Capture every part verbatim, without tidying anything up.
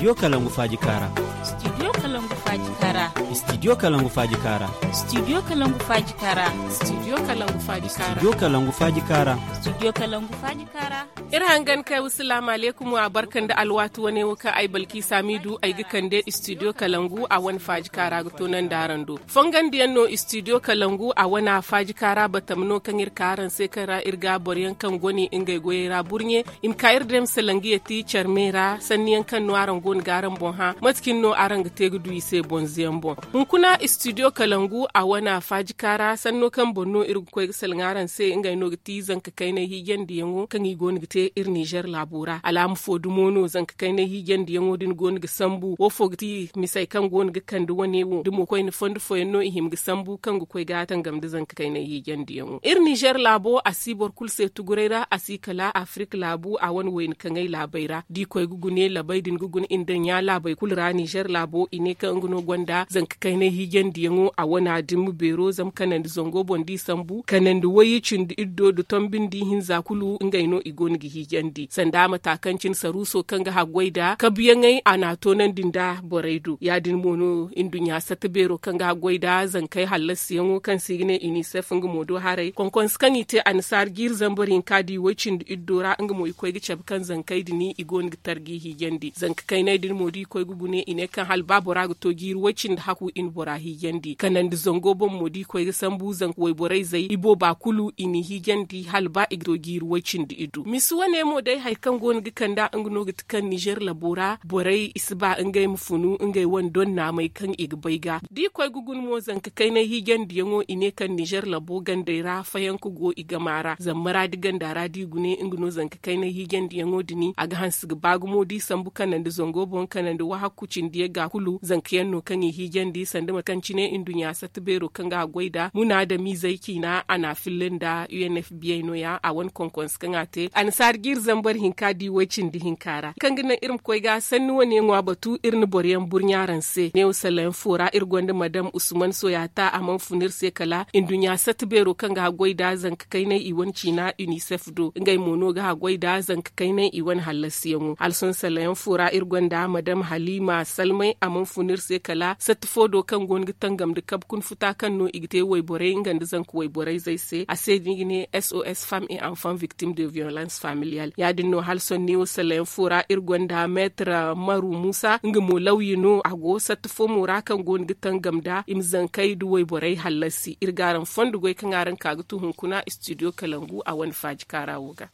Studio kalangu faaji kaara. Studio kalangu faaji kaara. Studio kalangu faaji kaara. Studio kalangu faaji kaara. Studio kalangu faaji kaara. Studio kalangu faaji kaara. Studio kalangu faaji kaara. Iri hangan kay wa salaamu aleykum wa barka nda alwaati wane wo kaŋ ay balki saamiidu ay ga kande studio kalangu a wane faaji kaara ga toonandi araŋ do. Fongandiyaŋ no studio kalangu a wane a faaji kaara batam no kaŋ iri ka araŋ se kaŋ ra iri ga boro yaŋ kaŋ gone ngey goyey ra burɲe i ma ka iri day ma salaŋ ga yeti care me ra sanni yaŋ kaŋ no araŋ go no ga araŋ boŋ hã mate cine no araŋ ga te ga du i se bonze yaŋ boŋ. Hunkuna studio kalangu a wane a faaji kaara sanno kaŋ boŋ no iri ga koy ga salaŋ araŋ se ngey no ga ti zanka kaynay hiijandi yaŋo kaŋ i go no ga te iri nizer laabo ra alaama fo dumo no zanka kaynay hiijandi yaŋo din go no ga sambu wo fo ga ti misey kaŋ go no ga kande wane wo da mo koyne fondo fooyaŋ no i hima ga sambu kaŋ ga koy ga tangam nda zanka kaynay hiijandi yaŋo iri nizer laabo a si boro kulu se tuguray ra a si kala afirik laabu a wane wayna kaŋay laabey ra da i koy ga gune labey din ga gune inda ɲa laabey kulu ra nizer laabo i ne kaŋ nga no gonda zanka kaynay hiijandi yaŋo a wane a dimma beero zama kanandi zango boŋ da i sambu kanandi wayye cindi iddo nda tombi nda ihinza kulu ngey no i go no ga hiijandi sanda mata kaŋ cine saruuso kaŋ ga haggoy nda kabuyaŋey a n'a toonandi nda borey do ya- din mo no nduɲɲa satta beero kaŋ ga haggoy nda zankey hallasiyaŋo kaŋ se i ga ne unicef nga mo do haray konkonse kaŋ i te annasaara jiiri zambar hinka da i way cindi iddo ra nga mo i koy ga cabe kaŋ zankey din i go no ga tarji hiijandi zanka kaynay din mo da i koy ga gune i ne kaŋ hala ba bora ga to jiiri way cindi haku i na bora hiijandi kanandi zango boŋ mo da i koy ga sambu zanka wayborey zey i booba kulu i n'i hiijandi hala ba i ga to jiiri way cindi iddu misi wane mo day hari kaŋ go no ga kand'a nga no ga ti kaŋ nizer labo ra borey i si ba ngey ma funu ngey wane donnaamey kaŋ i ga bay ga da i koy ga guna mo zanka kaynay hiijandiyaŋo i ne kaŋ nizer labo gandey ra fayanka go i gama ra zama maraadi ganda ra da i gune nga no zanka kaynay hiijandiyaŋo din a ga hanse ga ba gumo da i sambu kanandi zango boŋ kanandi wahakku cindi yagga kulu zanka yaŋ no kaŋ i hiijandi sanda mate kaŋ cine nduɲɲa satta beero kaŋ ga a goy nd'a munaadamiizey ciina a n'a filla nda u n f biyey no- ya a wane konkonse kaŋ a te annasaara jiiri zambar hinka da i way cindi hinka ra kaŋ ga naŋ iri ma koy ga sanni wane ŋwa batu iri na boro yaŋ burɲa araŋ se neewo salayaŋ fo ra iri gonda madam usman soyata a mana fun iri se kala nduɲɲa satta beero kaŋ ga haggoy nda zanka kaynay i wane ciina unicef do ngey mo no ga haggoy nda zanka kaynay i wane hallasiyaŋo hala sohõ salayaŋ fo ra iri gonda madam halima salmay a mana fun iri se kala satta fo do kaŋ go no ga tangam nda kabe kuna futa kaŋ no i ga te wayborey nga nda zanka wayborey zey se a se no i ga ne sos femme et enfant victime de violence familiale ya- din no hala sohõ neewo salayaŋ fo ra iri gonda meetar maru muusa nga mo lawya no a go satta fo mo ra kaŋ go no ga tangam nda i ma zankey nda wayborey hallasi iri ga araŋ fondo goy kaŋ araŋ ka ga tu hunkuna studio kalangu a wane faaji kaara wo ga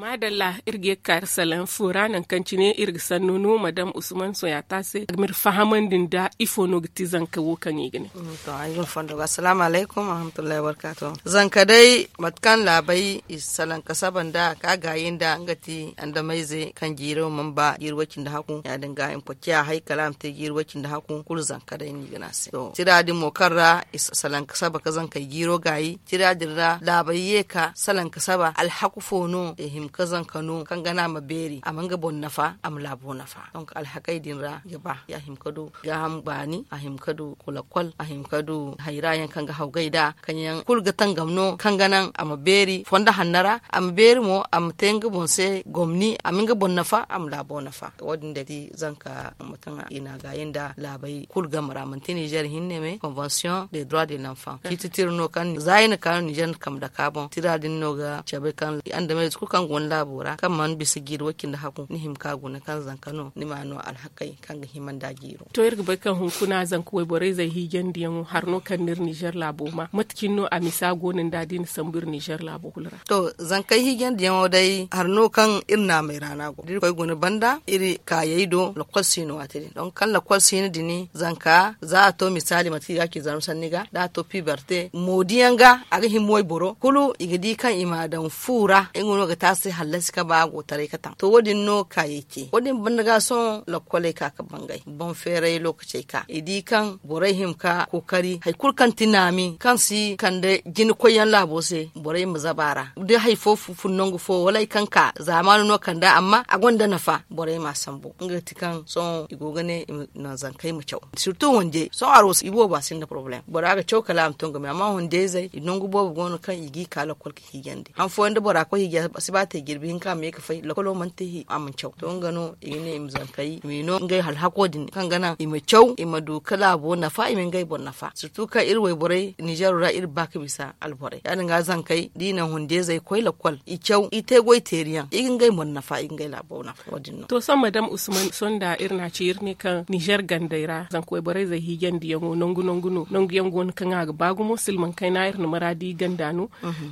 maadalla iri ga ye ga kaari salaŋ fo ra nangu kaŋ cine iri ga sanno no madam usman soyata se a ga m'iri fahamandi nda ifo no ga ti zanka wo kaŋ i ga ne. To ay ga ni fondo ga assalaamu alaykum warahmatullahi wabarkaatu. Zanka day mate kaŋ laabay i salaŋ ka saba nda ka gaayi nda nga ti andamayze kaŋ jiiro mana ba jiiri way cindi haku ya- din ga i ma koy ciya hay kala a ma te jiiri way cindi haku kulu zanka day no i ga ne a se to tira din mo kaŋ ra i salaŋ ka saba ka zankey jiiro gaayi tira din ra laabay ye ka salaŋ ka saba alhaku fo no i hima ka zanka no kaŋ gana a ma beeri a ma nga boŋ nafa a ma laabo nafa donk alhakey din ra i ga ba ya hima ka du gaaham baani a hima ka du kulakol a hima ka du hayra yaŋ kaŋ ga hawgay nd'a kaŋ yaŋ kulu ga tangam no kaŋ ga naŋ a ma beeri fondo hanno ra a ma beeri mo a ma te nga boŋ se gomni a ma nga boŋ nafa a ma laabo nafa wo- din day ti zanka mate kaŋ i n'a gaayi nda laabay kulu game ra manti nizer hinne me konvention de droit de l'enfant ciiti tira no kaŋ za i na ka no nizer na kambe dake a boŋ tira din no ga cabe kaŋ andamey za kulu kaŋ go ni laabo ra kaŋ mana bisa jiiri way cindi haku ni hima ka guna kaŋ zanka no ni ma no alhakey kaŋ ga hima nda jiiro. To iri ga bay kaŋ hunkuna zanka wayborey zey hiijandiyaŋo hari no kaŋ no iri nizer laabo ma mate cine no a misa go no nda da i na sambu iri nizer laabo kulu ra. To zankey hiijandiyaŋo day hari no kaŋ iri naamey ra no a go da iri koy guna banda iri kaayey do lakol si no waati din donk kaŋ lakol si no din zanka za a to misaali manti i ga a ci zarma sanni ga da a to piberte moodiyaŋ ga a ga hima wayboro kulu i ga di kaŋ i m'a daŋ fu ra nga no ga te a se. allasi ka ba go taray ka taŋ to wo- din no kaayey ce wo- din banda ga sohõ lokkoley ka ka bangay boŋ feeray lookacey ka i di kaŋ borey hima ka kookari hari kulu kaŋ ti naami kaŋ si kande jina koyyaŋ laabo se borey ma zaba a ra da hari fo fun nangu fo wala hari kaŋ ka zaamaani no kanda amma a gonda nafa borey m'a sambu nga ga ti kaŋ sohõ i go ga ne i ma naŋ zankey ma caw sirtu hunde sohõ aro se i boobo a sinda porobalem bora ga caw kala a ma to nga me amma hunde izey i nangu boobo go no kaŋ i g'i ka lokkol ka hiijandi han fooyaŋ da bora koy hiiji a si ba te jirbi hinka a ma ye ga fay lokkolo mana te a mana caw to nga no i ga ne i ma zankey i ma i no ngey alhako din kaŋ ga naŋ i ma caw i ma du ka laabo nafa i ma ngey boŋ nafa sirtu kaŋ iri wayborey ninzeero ra iri ba ga bisa alborey ya- din ga zankey da i naŋ hunde izey koy lokkol i caw i te goy teeriyaŋ i ga ngey boŋ nafa i ga ngey laabo nafa. To sohõ madam usman sohõ nda iri na a ci iri ne kaŋ nizer gandey ra zanka wayborey zey hiijandiyaŋo nangu nangu no nangu yaŋ go no kaŋ a ga ba gumo silmaŋ kayna iri na maraadi ganda no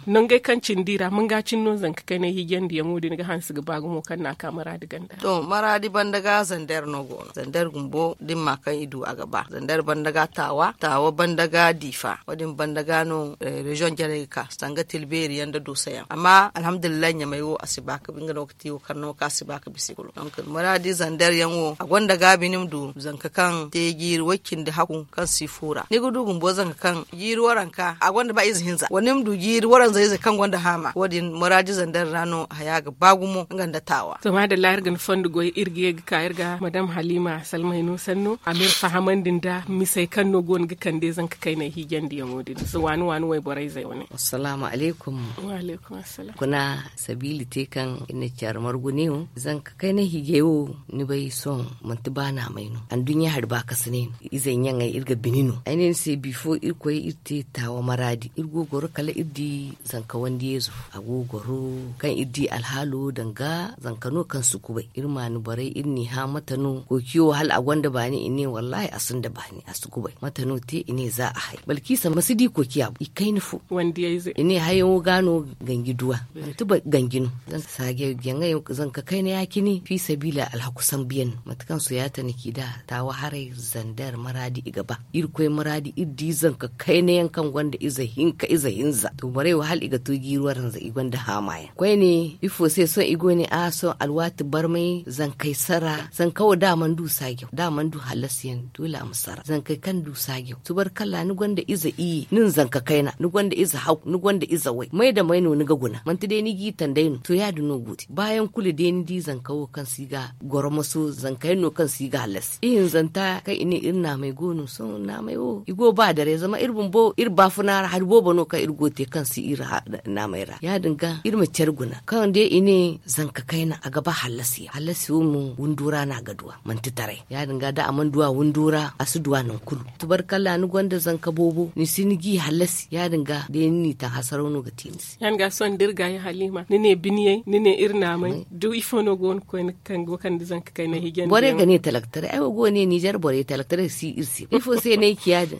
nangey kaŋ cindi ra manga cine no zanka kaynay hiijandiyaŋo din ga hanse ga ba gumo kaŋ no a ka maraadi ganda. To maraadi banda ga zander no go no zander bumbo da ni ma kaŋ i du a ga ba zander banda ga taawa taawa banda ga diifa wo- din banda ga no reziyoŋ jarey ga ka sanga tilbeeri yaŋ nda dooso yaŋ amma alhamdulillahi ɲamay wo a si ba ka bi nga no ga te wo kaŋ no ga ka a si ba ka bisa i kulu donk muraadi zander yaŋ wo a gonda gaabi ni ma du zanka kaŋ te jiiri way- cindi hakku kaŋ si fuura ni ga du bumbo zanka kaŋ jiiri waranka a gonda ba ize hinza wala ni ma du jiiri waranza ize kaŋ gonda haama wo- din muraadi zander ra no haya ga ba gumo nga nda taawa. To maadalla iri ga ni fondo goy iri ga ye ga ka iri ga madam halima salmayno sanno a ma iri fahamandi nda misey kaŋ no go no ga kande zanka kaynay hiijandiyaŋo din nda waani waani wayborey zey wane. Assalaamu alaykum. Wa alaykum assalam. Kuna sabiila te kaŋ iri na care margu ne wo zanka kaynay hiijay wo ni bay sohõ manti ba naamay no anduɲɲa hari ba kasa ne no izey ɲaŋey iri ga bini no ay ne ni se bifo iri koy iri te taawa maraadi iri go goro kala iri di zanka wandiyeezo a go goro kaŋ iri di alhaalo danga zanka no kaŋ si kubay iri ma ni borey iri n'i hã mate no kookiyo hala a gonda baani i ne wallaahi a sinda baani a si kubay mate no te i ne za a hay balkiisa ma si di kookiya i kayna fo i ne hayaŋo ga no ganji duwa manti ganji no. Saajaŋ jaŋay zanka kayna ya- cine fiisabiila alhaku sambu yaŋ no mate kaŋ soyaata na ci nd'a taawa haray zander maraadi i ga ba irkoy maraadi iri di zanka kayna yaŋ kaŋ gonda ize hinka ize hinza to borey wo hala i ga to jiiri waranza i gonda haama yaŋ koyne ifo se sohõ i go ne a sohõ alwaati barmay zankey sara zanka wo da a mana du saajaŋ da a mana du hallasi yaŋ doole a ma sara zankey kaŋ du saajaŋ tubarkalla ni gonda ize iyye nin zanka kayna ni gonda ize haw ni gonda ize way may da may no ni ga guna manti day ni g'i tanday no to ya- din no go te baayaŋ kulu day ni di zanka wo kaŋ si ga goromoso zanka yaŋ no kaŋ si ga hallasi ihinzanta kaŋ i ne iri naamay go no sohõ naamay wo i go ba daray zama iri bumbo iri baafuna ra hari boobo no kaŋ iri go te kaŋ si iri naamay ra ya- din ga iri ma care guna kaŋ day i ne zanka kayna a ga ba hallasi yaŋ hallasi wo mo windo ra no a ga duwa manti taray ya- din ga da a mana duwa windo ra a si duwa nangu kulu tubarkalla ni gonda zanka boobo ni si ni g'i hallasi ya- din ga day ni n'i taŋ hasaraw no ga te ni se. Yaŋ ga sohõ da iri ga ya halima ni ne biniyey ni ne iri naamay da ifo no go no koyne kaŋ go kande zanka kayna hiijandi borey ga ne talaktaray ay wo go ne nizer borey talaktaray si iri se ifo se no ay ci ya- din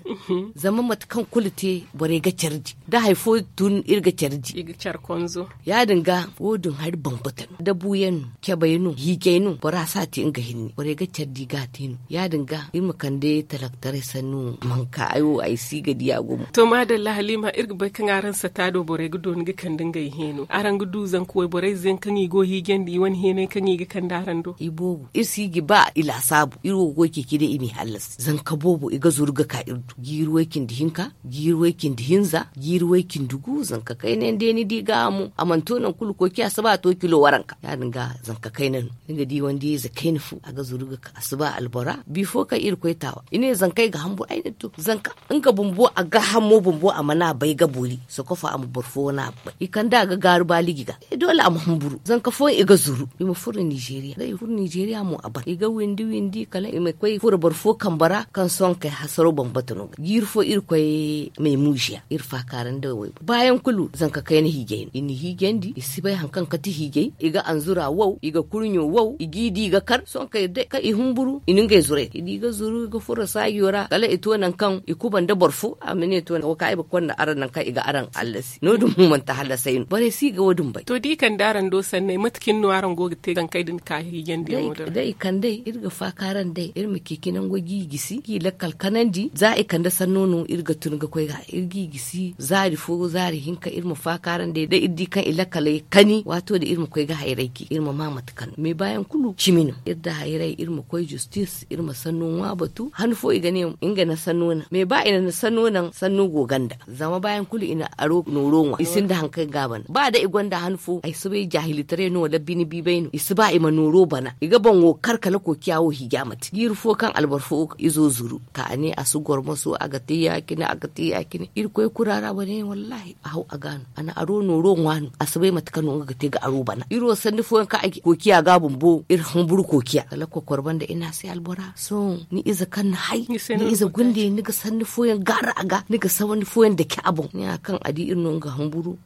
zama mate kaŋ kulu te borey ga care di da hari fo tun iri ga care di i ga care konzo ya- din ga wo- din hari bambata no dabu yaŋ no cabay no hiijay no bora si a te nga hinne borey ga care di ga a te no ya- din ga iri ma kande talaktaray sannu manka ay wo ay si ga di a gumo. To maadalla halima iri ga bay kaŋ araŋ sata do borey ga dooni ga kande ngey heeno araŋ ga du zanka wayborey ze yaŋ kaŋ i go hiijandi i wane heenay kaŋ i ga kande araŋ do i boobo iri si ga ba i laasaabu iri wo goy ceeci day i m'i hallasi zanka boobo i ga zuru ga ka iri do jiiri way cindi hinka jiiri way cindi hinza jiiri way cindi gu zanka kayna yaŋ day ni di ga a mo a mana to nangu kulu koy ciya si ba a to kilo waranka ya- din ga zanka kayna no ni ga di wandiyayze kayna fo a ga zuru ga ka a si ba albora bifo kaŋ iri koy taawa i ne zankey ga hamburu ay ne to zanka nga bumbo a gaahamo bumbo a mana bay ga boori sokofa a ma boro fo wane a bay i kande a ga gaaru baaliji ga doole a ma humburu zanka fooyaŋ i ga zuru i ma furo nizeriya da i furo nizeriya mo a ban i ga windi windi kala i ma koy furo boro fo kambe ra kaŋ sohõ kay hasaro bambata no ga jiiri fo iri koy meemuziya iri faakaara nda waybo baayaŋ kulu zanka kayna hiijay no i na hiijandi i si bay hari kaŋ kate hiijay i ga anzura wow i ga kurɲo wow i g'i di i ga kar sohõ kay day kaŋ i humburu i na ngey zuray i di ga zuru i ga furo saajo ra kala i to nangu kaŋ i kuba nda boro fo a ma ne to nangu kaŋ ay ma konda araŋ nangu kaŋ i ga araŋ hallasi no- din mo manti hallasay no borey si ga wo- din bay. To da i kande araŋ do sanney mate cine no araŋ go ga te zankey din ka hiijandi yaŋo din ra? Day i kandey iri ga faaka araŋ day iri ma ceeci nango g'i gisi g'i lakkal kanandi za i kande sanno no iri ga tun ga koy ga iri g'i gisi zaari fo zaari hinka iri ma faaka araŋ day da iri di kaŋ i lakkaley kani Waato da iri ma koy ga hayray ke iri ma ma mate kaŋ no mais baayaŋ kulu cimi no iri da hayray iri ma koy justis iri ma sanno ŋwa batu han fo i ga ne nga na sanno naŋ mais ba i na sanno naŋ sanno go ganda zama baayaŋ kulu i na aro nooro ŋwa i sinda hari kaŋ ga a bana ba da i gonda han fo ay si bay jaahilitaray no wala bine biibay no i si ba i ma nooro bana i ga boŋo kar kala kookiya wo hiija mate jiiri fo kaŋ alboro fo izo zuru ka a ne a si goro maso a ga te ya- cine a ga te ya- cine irkoy kuraara wane wallaahi a haw a ga no a na aro nooro ŋwa no a si bay mate kaŋ no nga ga te ga aro bana iri wo sanni fooyaŋ kaŋ a ga kookiya ga a bumbo iri humburu kookiya kala kokor banda iri ne a se albora sohõ ni ize kaŋ ni hay ni ize gunde ni ga sanni fooyaŋ gaara a ga ni ga sanni fooyaŋ dake a boŋ ni ya kaŋ a di iri no nga humburu.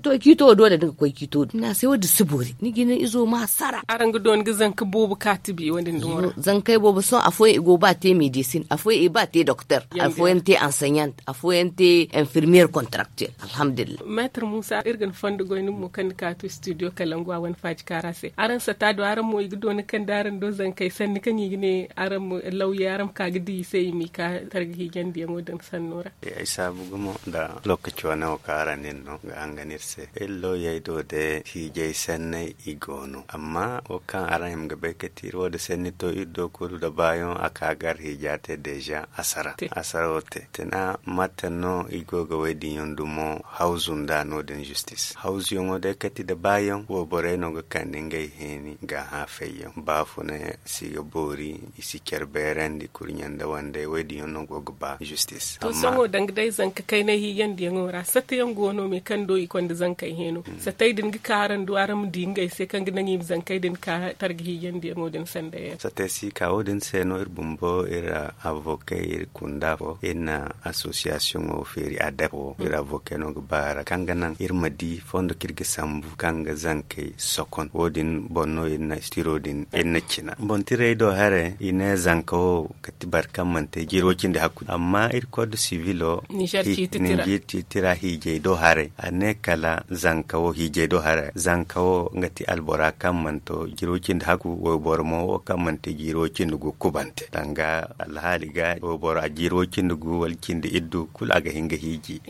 To ciito wo doole ni ga koy ciito din ni ne a se wo- din si boori ni ga ni izo ma sara. Araŋ ga dooni ga zanka boobo kaati bi wo- din din wo ra. Zankey boobo sohõ afooyaŋ i go ba te medesin afooyaŋ i ba te doktor afooyaŋ te anseɲant afooyaŋ te infirmiyer kontaraktel. Alhamdulillahi. Meetar muusa iri ga ni fondo goy ni mo kaŋ ni ka to studio kalangu a wane faaji kaara se araŋ sata do araŋ mo i ga dooni kaŋ da araŋ do zankey sanni kaŋ i ga ne araŋ ma lawye araŋ ma ka ga di i se i m'i ka targa hiijandiyaŋo din sanno ra. Ay saabu gumo nda lookaci wane wo kaŋ araŋ nin no ga hangan iri se iri lawyey do day hiijay sanney i go no amma wo kaŋ araŋ hima ga bay kate iri wo- din sanni to iri do kulu nda baayoŋ a ka gar hiija te deeza asara asara wo te tana mate no i go ga woy din yaŋ dumo hawzu nda no- din justis hawzuyaŋo day kate nda baayoŋ wo borey no ga kande ngey heeni ga hã fayyaŋ baafunay si ga boori i si care beerandi kurɲe nda wandey wo- din yaŋ no go ga ba justis. To sohõ danga day zanka kaynay hiijandiyaŋo ra satta yaŋ go no me kaŋ do i konda zankey heeno sattey din ga ka araŋ do araŋ ma di ngey se kaŋ ga naŋ i ma zankey din ka targa hiijandiyaŋo din sanda yaŋ. Sattey si ka wo- din se no iri bumbo iri avokey iri kunda fo iri na asosiyasiyoŋo feeri adep wo iri avokey no ga ba ra kaŋ ga naŋ iri ma di fondo kaŋ iri ga sambu kaŋ ga zankey sokon wo- din boŋ no iri na tiro din iri na cina boŋ tirey do haray i ne zanka wo ga ti boro kaŋ mana te jiiro cindi hakku amma iri kodo sivilo ninzeer ciiti tira hiijay do haray a ne kala zanka wo hiijay do haray zanka wo nga ti albora kaŋ mana to jiiro cindi hakku wayboro mo wo kaŋ mana te jiiro cindi gu kubante danga alhaali ga wayboro a jiiro cindi gu wala cindi iddu kulu a ga hin ga hiiji.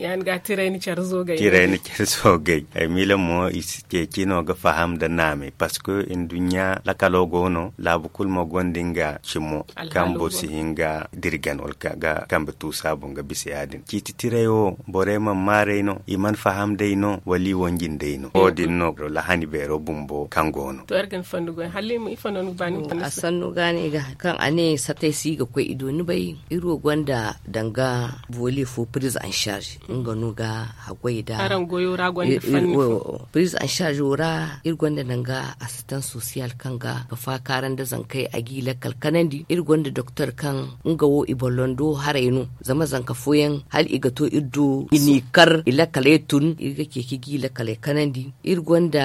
Tirayni care zo gay ay miila mo i si ceeci no ga faham nda naamay parceque nduɲɲa lakalo go no laabu kulu mo gonda nga cimo kaŋ boro si hin ga dirgan wala ga kambe tuusa boŋ ga bisa ya- din ciiti tiray wo borey mana maaray no i mana faham day no wala i wanji nd'ey no wo- din no lahani beero bumbo kaŋ go no. To iri ga ni fondo goy hala i ma ifo no ni ga ba ni ma fondo a sanno ga ne i ga hari kaŋ a ne satay si i ga koy i do ni bay iri wo gonda danga volet fo prise en charge nga no ga haggoy da araŋ goyo ra gonda fanni fo prise en charge wo ra iri gonda danga assistance sociale kaŋ ga ga faakaara nda zankey a g'i lakkal kanandi iri gonda doktor kaŋ nga wo i bollondo haray no zama zanka fooyaŋ hala i ga to iri do i n'i kar i lakkaley tun iri ga ceeci g'i lakkaley kanandi iri gonda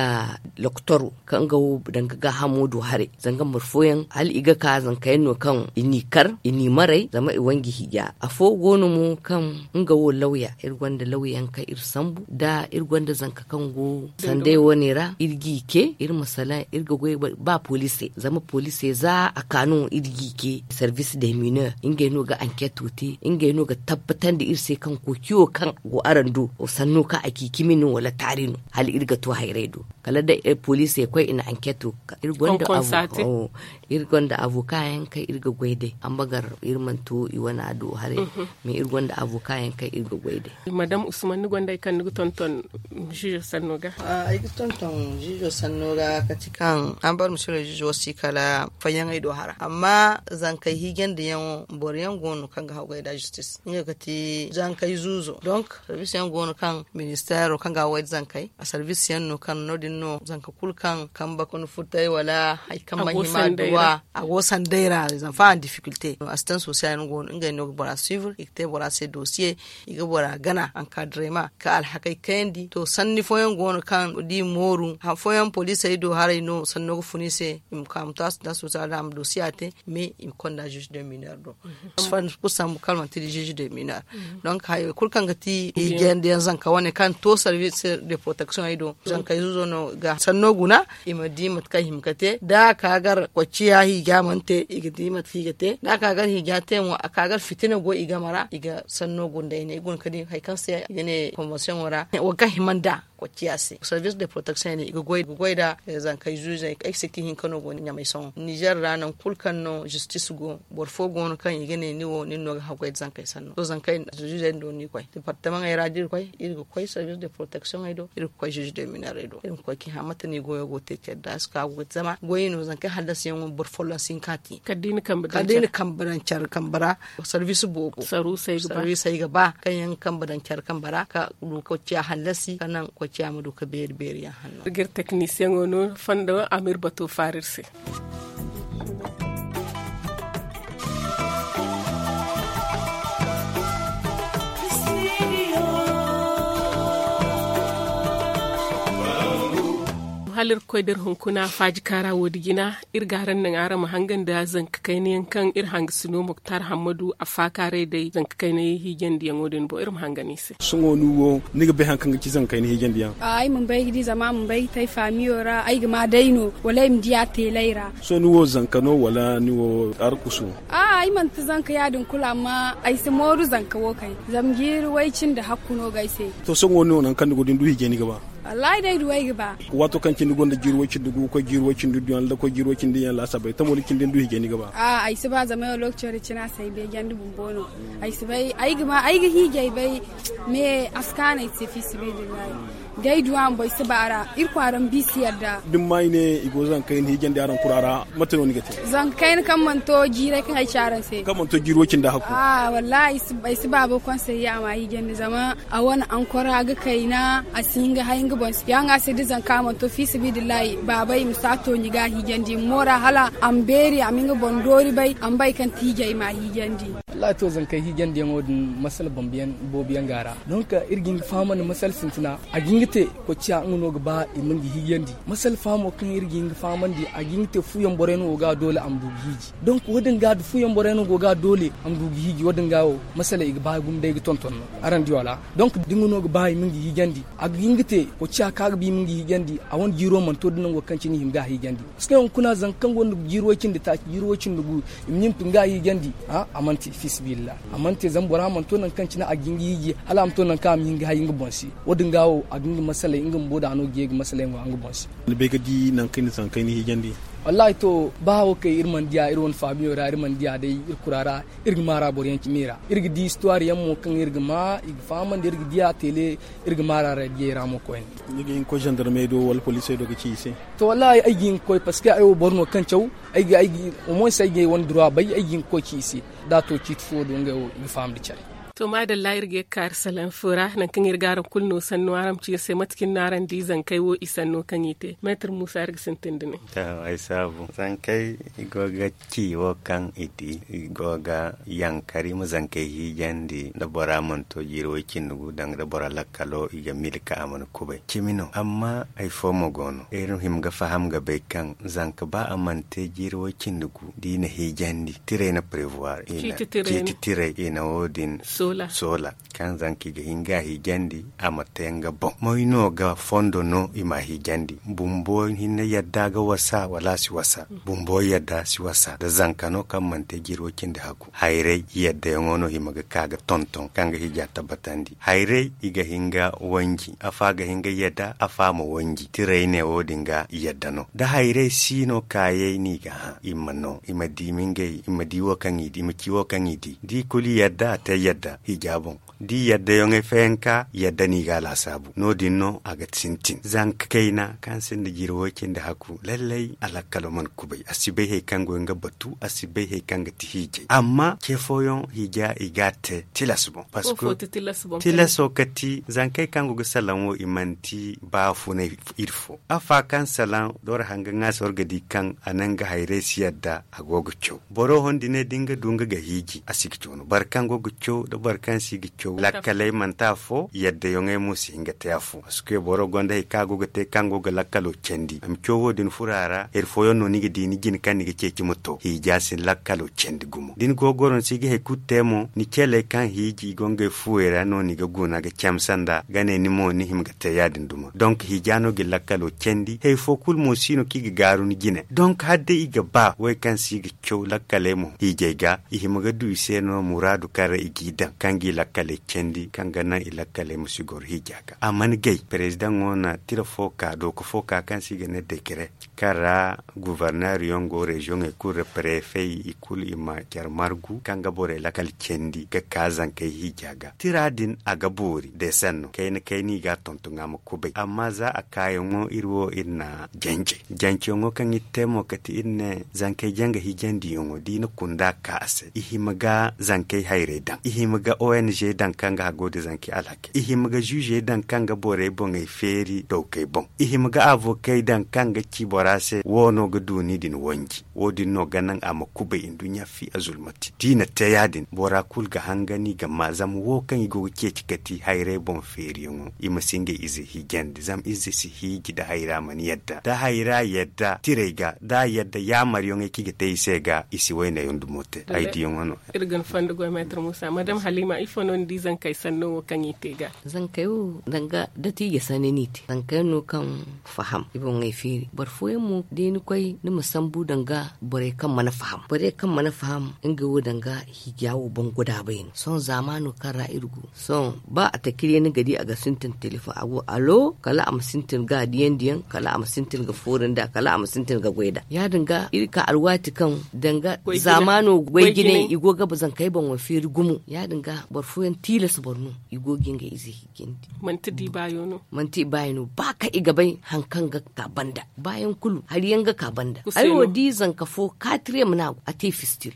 loktoro kaŋ nga wo danga gaahamo do haray zanga boro fooyaŋ hala i ga ka zanka yaŋ no kaŋ i n'i kar i n'i maray zama i wanji hiija afo go no mo kaŋ nga wo lawya iri gonda lawyaŋ kaŋ iri sambu da iri gonda zanka kaŋ go sanday wane ra iri g'i ce iri ma salaŋ iri ga goy ba poliisey zama poliisey za a ka no iri g'i ce service de mineur ngey no ga ankeeto te ngey no ga tabbatandi iri se kaŋ koociyo kaŋ go araŋ do sanno kaŋ a ci cimi no wala taari no hala iri ga to hayray do kala da poliisey koy i na ankeeto ga iri gonda iri gonda avoka yaŋ kaŋ iri ga goy day ambagar iri mana to i wana do haray mais iri gonda avoka yaŋ kaŋ iri ga goy day. Madame usman ni gonda hari kaŋ ni ga tonton juge sanno ga? Ay ga tonton juge sanno ga kati kaŋ ambar misiro juge wo si kala fayyaŋey do hara amma zankey hiijandi yaŋo boro yaŋ go no kaŋ ga hawgay da justice nga kati zankey zuuzo donc service yaŋ go no kaŋ ministero kaŋ ga hawgay da zankey a service yaŋ no kaŋ no- din no zanka kulu kaŋ kamba ga ni futay wala hari kaŋ mana hima duwa a go sanday ra zama fa en difficulté assistance sociale yaŋ go no ngey no ga bora suivre i ga te bora se dossier i ga bora gana encadrement ka alhakey kayandi to sanni fooyaŋ go no kaŋ da i mooru hari fooyaŋ poliisey do haray no sanno ga fun i se i ma ka ma to assistance sociale ra a ma dossier a te mais i ma konda juge de mineur do. Kulu sambu kaŋ manti da juge de mineur donc hayey kulu kaŋ ga ti i jeendiyaŋ zanka wane kaŋ to service de protection ay do zankey zuuzo no ga sanno guna i ma di mate kaŋ hima ga te da a ka gar kocciya hiija mana te i ga di mate kaŋ i ga te da a ka gar hiija te mo a ka gar fitina go i game ra i ga sanno guna day ne i guna ga di hari kaŋ se i ga ne convention wo ra wo kaŋ hima nd'a Koy ciya se service de protection ne i ga goy nda zankey zuzey ay ga si kaŋ i hinka no go ni ɲamay sohõ nizer ra nangu kulu kaŋ no zistis go boro fo go no kaŋ i ga ne ni wo nin no ga haggoy nda zankey sanno to zankey zuzey din do no i koy departamaŋey ra da iri koy iri ga koy service de protection ey do iri ga koy zuze de minerey do iri ma koy ka i hã mate no i goyo go te care da a si ka go ga te zama goyey no zankey hallasiyaŋo boro folloŋ si hin ka te kala da i na kambe daŋ care kambe ra service boobo service ay ga ba kaŋ yaŋ ga kambe daŋ care kambe ra ka du ga koy ciya hallasi ka naŋ koy ciya ma du ka beeri beeri yaŋ hanno iri ga iri teknisiyaŋo no fondo a ma iri bato faara iri se hala iri ga koy da iri hunkuna faaji kaara wo- din jina iri ga araŋ naŋ araŋ ma hanga nda zanka kayna yaŋ kaŋ iri hangasino moktar hammadu a faakaaray day zanka kayna hiijandiyaŋo din boŋ iri ma hanga no i se sohõ ni wo ni ga bay hari kaŋ ga ci zanka kayna hiijandiyaŋ ay ma bay ga di zama a ma bay ga te ay faamiyo ra ay ga ma day no wala ay ma di a teelay ra sohõ ni wo zanka no wala ni wo arkusu ay manti zanka ya- din kulu amma ay si mooru zanka wo kay zama jiiri way cindi hakku no ga ay se to sohõ ni wo nangu kaŋ ni go da ni du hiijay ni ga ba wallahi day duway ga ba waato kaŋ cindi gonda jiiri way cindi gu ga koy jiiri way cindi duyaŋ da koy jiiri way cindi yaŋ laasabay tamo da cindi ni du hiijay ni ga ba a ay si ba zama yaŋ lokaco da cina se ay beejandi bumbo no ay si bay ay ga hiijay bay me a si kaanu ay se fi sabilillahi day duwa bumbo ay si ba a ra iri kwaara ma bi si yadda da ni ma i ne i go zankey ni hiijandi araŋ kura ra mate no ni ga te zankey ni kaŋ mana to jiiray kaŋ ay ci araŋ se kaŋ mana to jiiri way cindi hakku a wallahi ay si ba boro kaŋ se ya a ma hiijandi zama a wane ankora ga kayna a si hin ga hay nga boŋ se ya nga se da zanka mana to fi sabilillahi baabay i ma si a to ni ga a hiijandi i ma moora hala a ma beeri a ma nga boŋ doori bay a ma bay kaŋ ti hiijay ma a hiijandi wallahi to zankey hiijandiyaŋo din masala boobo yaŋ ga a ra donk iri ga hin ga fahamandi masala sintina a ga hin ga te koy ciya nga no ga ba i ma nga hiijandi masala fahamo kaŋ iri ga hin ga fahamandi a ga hin ga te fuyaŋ borey no go ga doole a ma du ga hiiji donk wo- din ga da fuyaŋ borey no go ga doole a ma du ga hiiji wo- din ga wo masala i ga ba gumo day ga tonton no araŋ di wala donk da nga no ga ba i ma nga hiijandi a ga hin ga te koy ciya kaŋ a ga ba i ma nga hiijandi a wane jiiro mana to da nango kaŋ cine i hima ga a hiijandi parce que hunkuna zanka kaŋ gonda jiiri way cindi taaci jiiri way cindi gu i ma ɲumpi nga a hiijandi a mana te fi sabilillahi a mana te zama bora mana to nangu kaŋ cine a ga hin ga hiiji hala a ma to nangu kaŋ a ma hin ga hay nga boŋ se wo- din ga wo a ga nga masaley nga bumbo da no ga ye ga masaley ŋwa nga boŋ se ni bay ga di nangu kaŋ ni zankey ni hiijandi wallahi to ba wo kay iri mana diya iri wane faamiyo ra iri mana diya day iri kura ra iri ga maara boro yaŋ cimi ra iri ga di histoire yaŋ mo kaŋ iri ga ma i ga fahamandi iri ga diya tele iri ga maara ra diyey ra mo koyne ni ga hin ga koy zandarmey do wala poliisey do ga ci i se to wallahi ay ga hin ga koy parce que ay wo boro no kaŋ caw ay ga ay ga au moins ay ga ay wane droit bay ay ga hin ga koy ci i se da a to ciiti fo do ngey wo i ga fahamandi care to maadalla iri ga ye ga kaari salaŋ fo ra nangu kaŋ iri ga araŋ kulu no sanno araŋ ma ci iri se mate kaŋ no araŋ di zankey wo i sanno kaŋ i te meetar muusa iri ga sintin da ne to ay saabu zankey i go ga ci wo kaŋ i di i go ga yankari ma zankey hiijandi da bora mana to jiiri way cindi gu danga da bora lakkalo i ga milka a mana kubay cimi no amma hari fo mo go no iri hima ga faham ga bay kaŋ zanka ba a mana te jiiri way cindi gu da i na hiijandi tiray na prevoir ciiti tiray i na wo- din soola kaŋ zanka i ga hin ga a hiijandi a ma te nga boŋ moy no ga fondo no i ma a hiijandi bumbo hinne yadda ga wasa wala a si wasa bumbo yadda si wasa da zanka no kaŋ mana te jiiri way cindi hakku hayray yaddayaŋo no hima ga ka ga tonton kaŋ ga hija tabbatandi hayray i ga hin ga wanji afa ga hin ga yadda afa ma wanji tiray ne wo- din ga yadda no da hayray si no kaayay no i ga hã i ma no i ma di mingay i ma di wo kaŋ i di i ma ci wo kaŋ i di da i kulu yadda a te yadda hija boŋ da i yadda yaŋey fayanka yadda no i ga a laasaabu no- din no a ga sintin zanka kayna kaŋ sinda jiiri way cindi hakku lallay a lakkalo mana kubay a si bay hari kaŋ go nga batu a si bay hari kaŋ ga ti hiijay amma ce fooyaŋ hiija i ga a te tilas boŋ parce que tilaso ga ti zankey kaŋ go ga salaŋ wo i manti baafunay iri fo afa kaŋ salaŋ da war hanga ŋaasi war ga di kaŋ a naŋ ga hayray si yadda a go ga caw boro hondi ne da nga du nga ga hiiji a si ga caw no boro kaŋ go ga caw da boro kaŋ si ga caw lakkaley manti afo yadda yaŋey mo si hin ga te afo parce que boro gonda hari kaŋ a go ga te kaŋ go ga lakkalo candi a ma caw wo- din furo a ra hari fooyaŋ no ni ga di ni jine kaŋ ni ga ceeci ma to hiija si lakkalo candi gumo da ni go ga goro ni si ga hari kulu te mo ni celey kaŋ hiiji i go ngey fuwey ra no ni ga guna ga camse nd'a ga ne ni mo ni hima ga te ya- din duma donk hiija no ga ni lakkalo candi hari fo kulu mo si no kaŋ i ga gaaru ni jine donk hala day i ga ba wey kaŋ si ga caw lakkaley mo hiijay ga i hima ga du i se no muraadu kaŋ ra i g'i daŋ Kaŋ ga i lakkaley candi kaŋ ga naŋ i lakkaley ma si goro hiija ga a mana gay. Perezidaŋo na tira fo ka dooka fo ka kaŋ se i ga ne dekere kaŋ ra guverner yaŋ go reziyoŋey kulu ra perefey i kulu i ma care margu kaŋ ga borey lakkal candi ga ka zankey hiija ga tira din a ga boori deesanno kayna kayna i ga a tonton a ma kubay amma za a kaayaŋo iri wo iri na jance janceyaŋo kaŋ iri te mo kate iri ne zankey janga hiijandiyaŋo da i na kunda ka a se i hima ga zankey hayray daŋ i hima ga ong daŋ kaŋ ga hago da zankey alhakey i hima ga ziizey daŋ kaŋ ga borey boŋey feeri dawkey boŋ i hima ga avokey daŋ kaŋ ga ci bora se wo no ga du ni din wanji wo- din no ga naŋ a ma kubay nduɲɲa fi a zulmati da i na te ya- din bora kulu ga hangani ga ma zama wo kaŋ i go ga ceeci kati hayray boŋ feeriyaŋo i ma si ngey ize hiijandi zama ize si hiiji da hayra mana yadda da hayra yadda tirey ga da a yadda yaamaryaŋey kaŋ i ga te i se ga i si waynayaŋ dumo te ay diyaŋo no. Iri ga ni fondo goy meetar muusa madam halima ifo no ni di zankey sanno wo kaŋ i te ga? Zankey wo danga dati i ga sanni no i te zankey no kaŋ faham i boŋey feeri boro fooyaŋ mo day ni koy ni ma sambu danga borey kaŋ mana faham borey kaŋ mana faham ngey wo danga hiija wo boŋ godaabay no sohõ zaamaano kaŋ ra iri go sohõ ba a takir yaŋ ni ga di a ga sintin telefoŋ a go alo kala a ma sintin ga diyaŋ diyaŋ kala a ma sintin ga foori nd'a kala a ma sintin ga goy nd'a ya- din ga iri ka alwaati kaŋ danga zaamaano goy jinay i go ga zankey boŋo feeri gumo ya- din ga boro fooyaŋ tilas boro no i go ga ngey ize hiijandi. Manti di baayo no manti i baayo no ba kaŋ i ga bay hari kaŋ ga ka banda baayaŋ kulu hari yaŋ ga ka banda ay wo di zanka fo kaatire ma no a go a te fistil.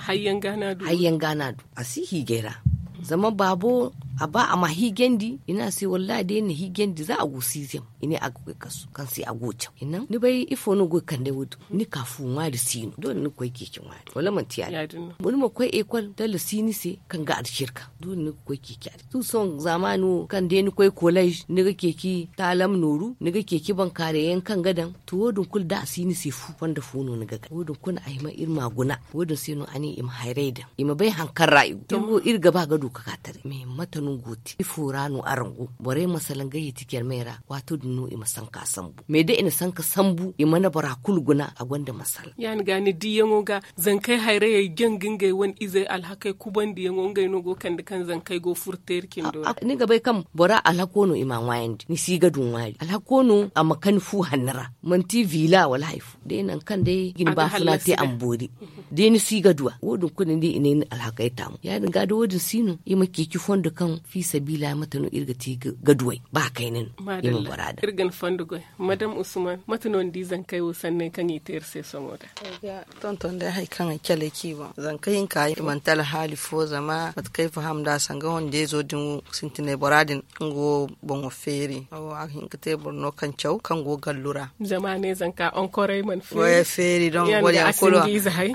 Hari yaŋ ga no a du a si hiijay ra zama baabo a ba a ma hiijandi i ne a se wallahi day ni na hiijandi za a go siizem i ne a ga koy kasu kaŋ se a go caw i naŋ ni bay ifo no go ga kande wo- din ni ka fu ŋwaari si no doole ni ga koy ceeci ŋwaari wala manti ya- din ni ma koy ekol dalla si ni se kaŋ ga alcirka doole ni ga koy ceeci a din sohõ zaamaani wo kaŋ day ni koy kolej ni ga ceeci taalam nooru ni ga ceeci bankaaray yaŋ kaŋ ga daŋ to wo- din kulu da a si ni se fu fondo fo no ni ga gay wo- din kulu a hima iri ma a guna wo- din se no a ne i ma hayray daŋ i ma bay hari kaŋ ra i go iri ga ba ga du ga ka taray mais mate no go te ifo ra no araŋ go borey ma salaŋ ga yeeti jarmey ra waato din no i ma sanka sambu mais da i na sanka sambu i mana bora kulu guna a gonda masala ya- ni ga ni diyaŋo ga zankey hayrayey jaŋ ga ngey wane izey alhakey kubandiyaŋo ngey no go ga kande kaŋ zankey go furo teeri cindo ra ni ga bay kaŋ bora alhako no i m'a ŋwaayandi ni si ga du ŋwaari alhako no a ma kani fu hanni ra manti vila wala hari fo day nangu kaŋ day ga ni baafuna te a ma boori day ni si ga du a wo- din kulu ni di i ne ni alhakey taamu ya- din ga da wo- din si no i ma ceeci fondo kaŋ fiisabiila mate no iri ga te ga du ay ba kayna no i ma bora daŋ iri ga ni fondo goy madam usman mate no ni di zankey wo sanney kaŋ i te iri se sohõ da tonton day hari kaŋ ay calay ci boŋ zanka hinka i manti alhaali fo zama mate kaŋ ay faham nd'a sanga wande izo din wo sintinay bora din kaŋ go boŋo feeri a go a ga hin ga te boro no kaŋ caw kaŋ go gallu ra zama a ne zanka onkorey mana feeri don boro yaŋ kulu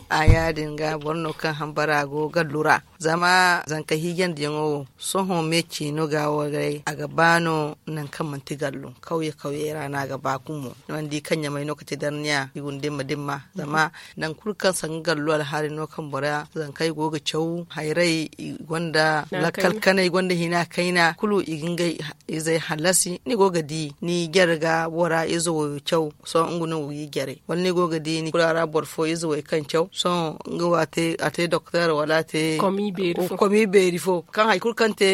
a ya- din ga boro no kaŋ hambara go gallu ra zama zanka hiijandiyaŋo wo sohõ me ciino ga wo day a ga ba no nangu kaŋ manti gallu kawye kawyey ra no a ga ba gumo ni mana di kaŋ ɲamay no ga te darniya i guna dimma dimma zama nangu kulu kaŋ sanga gallu alhaali no kaŋ bora zankey go ga caw hayray i gonda lakkal kanay i gonda hina kayna kulu i ga ngey izey hallasi ni go ga di ni jare ga bora ize wayo caw sohõ nga no go ga i jare wala ni go ga di ni kula ra boro fo ize way kaŋ caw sohõ nga wo a te doktor wala a te komi beeri fo kaŋ hari kulu kaŋ te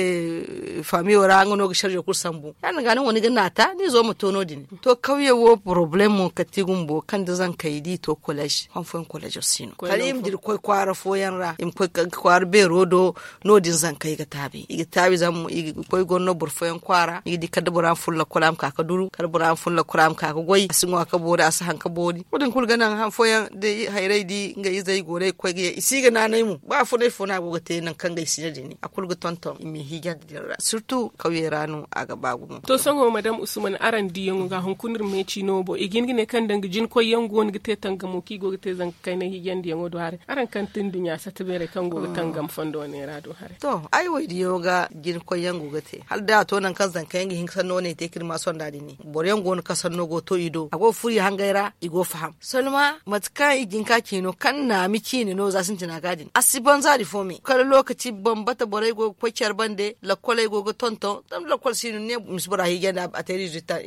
famiyo ra nga no ga sarjo kulu sambu ya- din ga ni wo ni ga naata ni zo ma to no- din to kawye wo poroblemo kala ti gumbo kaŋ da zankey da i to kolej han fooyaŋ kolejo si no kala i ma dira koy kwaara fooyaŋ ra i ma koy kwaara beero do no- din zankey ga taabi i ga taabi zama i ga koy goro no boro fooyaŋ kwaara ni ga di kala da bora ma fun lakkol a ma ka ga duru kala da bora ma fun lakkol a ma ka ga goy a si ŋwa ga boori a si haŋ ga boori wo- din kulu ga naŋ han fooyaŋ da hayray di nga izey go no ay ga koy ga ye i si ga naanay mo ba funay fo no a go ga te nangu kaŋ ga ay si ne din a kulu ga tonton i ma i hiijandi din ra sirtu kawyey ra no a ga ba gumo to sohõ madam usman araŋ diyaŋo ga hunkuna iri meeci no bo i ga hin ga ne kaŋ danga jinkoyyaŋ go no ga te tangamo kaŋ i go ga te zanga kaynay hiijandiyaŋo do haray araŋ kaŋ ti nduɲɲa sata beerey kaŋ go ga tangam fondo wane ra do haray to ay wo ay diyaŋo ga jinkoyyaŋ go ga te hala da a to nangu kaŋ zankayaŋ ga hin ga sanno wane te ka iri ma sonda din ne boroyaŋ go no kaŋ sanno go to i do a go ga furo i hangey ra i go ga faham solma mate kaŋ i jin ka ciino kaŋ naami ciine no za sintina ga din a si banza din fo me Wala lokaci bambata borey go ga koy care bande lakkoley go ga tonton zama lakkol si no ni ne ma si bora hiijandi a te rezilta.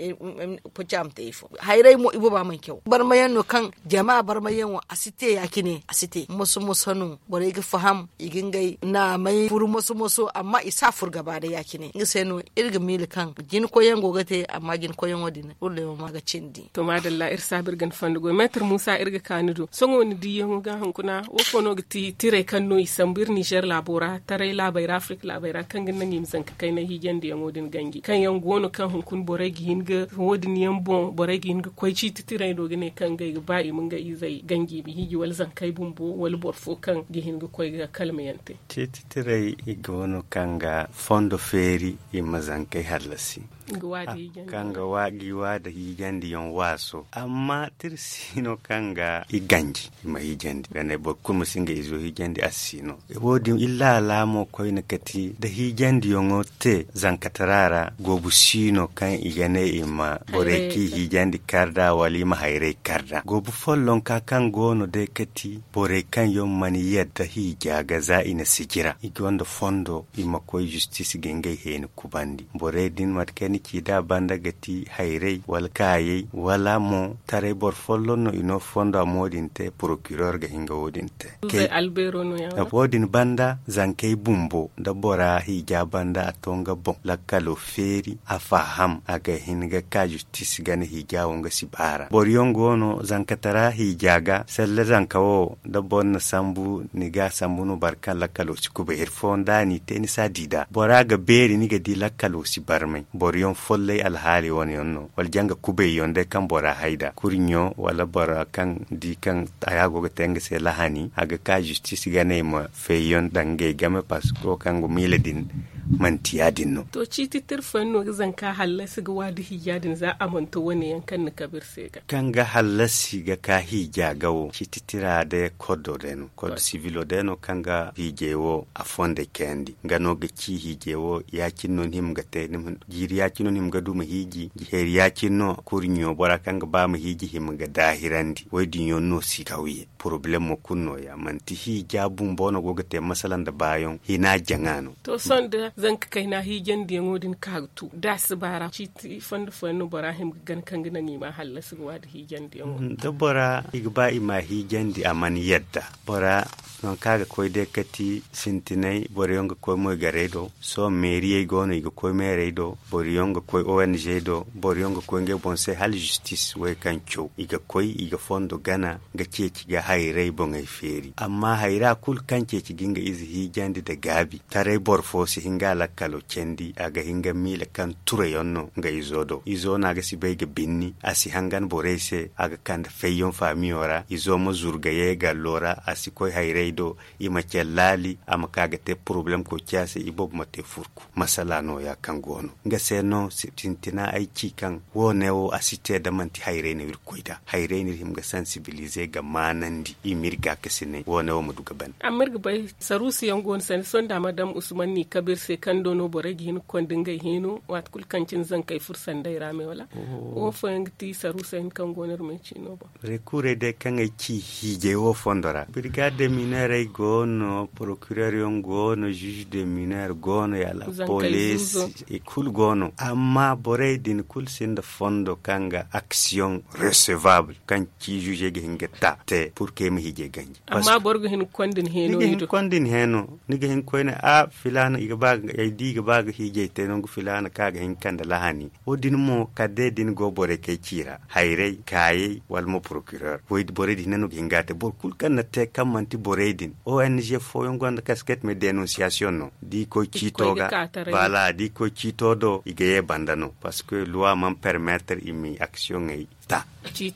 Poca ma te ifo hayray mo ibooba mana caw barmayaŋ no kaŋ jama barmayaŋo a si te ya- cine a si te moso moso no borey ga faham i ga ngey naamay furu moso moso amma i si a furu gaba day ya- cine nga se no iri ga miila kaŋ jinkoyyaŋ go ga te amma jinkoyyaŋo din kulu day wo ma ga cindi. To maadalla iri saabu iri ga ni fondo goy meetar muusa iri ga ka ni do sohõ ni diiyaŋo ga hunkuna wo fo no ga ti tiray kaŋ no i sambu iri nizer laabo ra taray laabey ra afirika laabey ra kaŋ ga naŋ i ma zanka kayna hiijandiyaŋo din ganji kaŋ yaŋ go no kaŋ hunkuna borey ga hin ga wo- din yaŋ boŋ borey ga hin ga koy ciiti tiray do ga ne kaŋ ngey ga ba i ma nga izey ganji i ma hiiji wala zankey bumbo wala boro fo kaŋ ga hin ga koy ga kalmayaŋ te. Ciiti tiray i go no kaŋ ga fondo feeri i ma zankey hallasi kaŋ ga waada hiijandiyaŋ waaso amma tira si no kaŋ ga i ganji i ma hiijandi ga ne boro kulu ma si nga izo hiijandi a si no. Wo- din illa alaamo koyne kati nda hiijandiyaŋo te zankatara ra goobu si no kaŋ i ga ne i ma borey kaŋ i hiijandi kar nd'a wala i ma hayray kar nd'a goobu follonka kaŋ go no day kati borey kaŋ yaŋ mana yadda hiija ga za i na sijira i gonda fondo i ma koy zistis ga ngey heeni kubandi borey din mate kaŋ ni ci nd'a banda ga ti hayray wala kaayey wala mo taray boro folloŋ no i no fonda mo- din te porokiror ga hin ga wo- din te. Wo- din banda zankey bumbo nda bora hiija banda a to nga boŋ lakkalo feeri a faham a ga hin ga ka zistis gana hiija wo nga si baara boro yaŋ go no zankatara hiija ga salle zanka wo da boro na sambu ni ga a sambu no boro kaŋ lakkalo si kubay hari fooyaŋ da a n'i te ni si a di nd'a bora ga beeri ni ga di lakkalo si barmay boro yaŋ follay alhaali wane yaŋ no wala janga kubay yaŋ day kaŋ bora hay nd'a kurɲo wala bora kaŋ di kaŋ haya go ga te nga se lahani a ga ka zistis gana i ma feeyaŋ daŋ ngey game parceque wo kaŋ ga miila din manti ya- din no. To ciiti tirfayaŋ no ga zanka hallasi ga waadi hiija din za a mana to wane yaŋ kaŋ ni kabe iri se ga kaŋ ga hallasi ga ka hiija ga wo ciiti tira day koddo day no koddo sivilo day no kaŋ ga hiijay wo a fondey kayandi nga no ga ci hiijay wo ya- cine no ni hima ga te jiiri ya- cine no ni hima ga du ma hiiji heeri ya- cine no kurɲo bora kaŋ ga ba ma hiiji hima ga daahirandi wo- din yaŋ no si kawye porobalemo kulu no- ya manti hiija bumbo no go ga te masala nda baayaŋ hina jaŋa no. To sohõ da zanka kayna hiijandiyaŋo din ka ga tu da a si baara ciiti fondo fooyaŋ no bora hima ga gana kaŋ ga naŋ i ma a hallasi ga waadi hiijandiyaŋo da bora i ga ba i ma a hiijandi a mana yadda bora nangu kaŋ a ga koy day kati sintinay boro yaŋ ga koy moygarey do sohõ meeriyey go no i ga koy meerey do boro yaŋ ga koy ong do boro yaŋ ga koy ngey boŋ se hala zistis wey kaŋ caw i ga koy i ga fondo gana ga ceeci ga hayray boŋey feeri amma hayra kulu kaŋ ceeci ga nga ize hiijandi nda gaabi taray boro fo si hin ga a lakkalo candi a ga hin ga miila kaŋ turayaŋ no nga izo do izo no a ga si bay ga binni a si hangan borey se a ga kande fayyaŋ faamiyo ra izo ma zuru ga ye gallo ra a si koy hayray do i ma care laali a ma ka ga te porobalem koociya se iboobo ma te furku masala nooya kaŋ go no nga se no sintina ay ci kaŋ wo- ne wo a si te da manti hayray no iri koy nd'a hayray no iri hima ga sansibilize ga maanandi i ma iri gaakasinay wo- ne wo ma du ga ban. Amma iri ga bay saruusu yaŋ go no sanda sohõ da madam usman no i kabe iri se kaŋ do no borey ga hin ga konda ngey hino waati kulu kaŋ cine zankey furo sanday ra me wala wo fooyaŋ ga ti saruusey hinne kaŋ go no iri ma ay ci no boŋ. Rekurey day kaŋ ay ci hiijay wo fondo ra birigad de mineerey go no porokireer yaŋ go no ziiz de mineer go no yala poliis i kulu go no amma borey din kulu sinda fondo kaŋ ga aksiyoŋ resevabul kaŋ ci ziizey ga hin ga ta te pur kaŋ ay ma hiijay ganji. Amma boro ga hin ga konda ni heeno ni ga hin ga koyne a filaana ay di i ga ba ga hiijay te nangu filaana kaŋ a ga hin ga kande lahani wo- din mo kala day da ni go borey kaŋ ay ci ra hayray kaayay wala mo porokireer borey din hinne no ga hin ga a te boro kulu kaŋ na te kaŋ manti borey din ong fooyaŋ gonda kasket me denonsiyasiyoŋ no da i koy ciito ga baala da i koy ciito do i ga ye banda no parceque luwa mana permetre i ma aksiyoŋey ta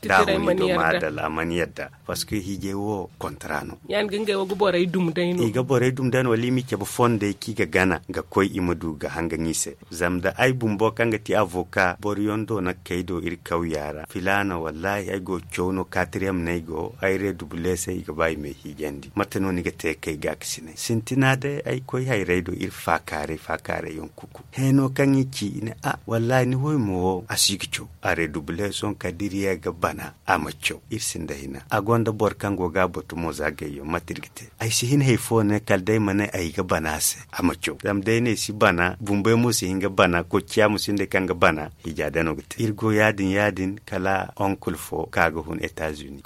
da a huni do maadalla a mana yadda parceque hiijay wo kontra no. Ya- din ga ngey wo ga borey dum day no i ga borey dum day no wala i ma i cabe fondey kaŋ i ga gana ga koy i ma du ga hangan i se. Zama da ay bumbo kaŋ ga ti avoka boro yaŋ do na kay do iri kawya ra filaana wallahi ay go ga caw no katriyam no ay go ay reedubule se i ga ba i ma ay hiijandi mate no ni ga te kay gaakasinay sintina day ay koy hayray do iri faakaaray faakaaray yaŋ kuku heeno kaŋ i ci i ne a wallahi ni wo ay mo wo a si ga caw a reedubule sohõ kala da iri ye ga bana a ma caw iri sinda hina. A gonda boro kaŋ go ga a batu mo za gayyo mate iri ga te. Ay si hin hari fo ne kala day ma ne ay ga bana a se a ma caw zama day ne ay si bana bumbey mo si hin ga bana kocciya mo sinda kaŋ ga bana. Hija day no ga te iri go ya- din ya- din kala onkul fo ka ga hun etazuni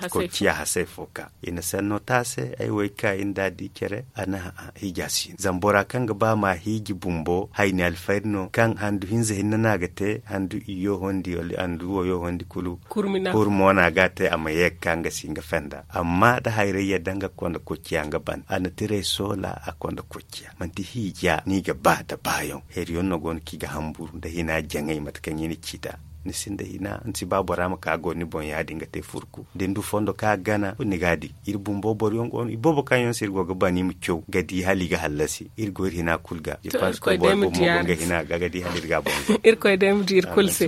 kocciya hasay fo ka i na sanno taase ay wo ay ka iri nda a di care a na hija si no zama bora kaŋ ga ba ma hiiji bumbo hayni alfayda no kaŋ handu hinza hinne no a ga te handu iyo hondi wala handu woyo hondi kulu. Kurmo no a ga a te a ma ye ga ka nga si nga fenda amma da hayray yadda nga konda kocciya nga ban a na tiray soola a konda kocciya manti hiija no i ga ba da baayaŋ. Heriyaŋ no go no kaŋ i ga hamburu nda hina jaŋay mate kaŋ i na ci nd'a. Ni sinda hina ni si ba bora ma ka go ni boŋ ya- din ga te furku da ni du fondo kaŋ a ga gana kulu ni ga a di. Iri bumbo boro yaŋ go no iboobo kaŋ yaŋ se iri go ga ba ni ma caw ga di hala i ga hallasi iri go iri hina kulu ga. Iri koy day ma di iri kulu se.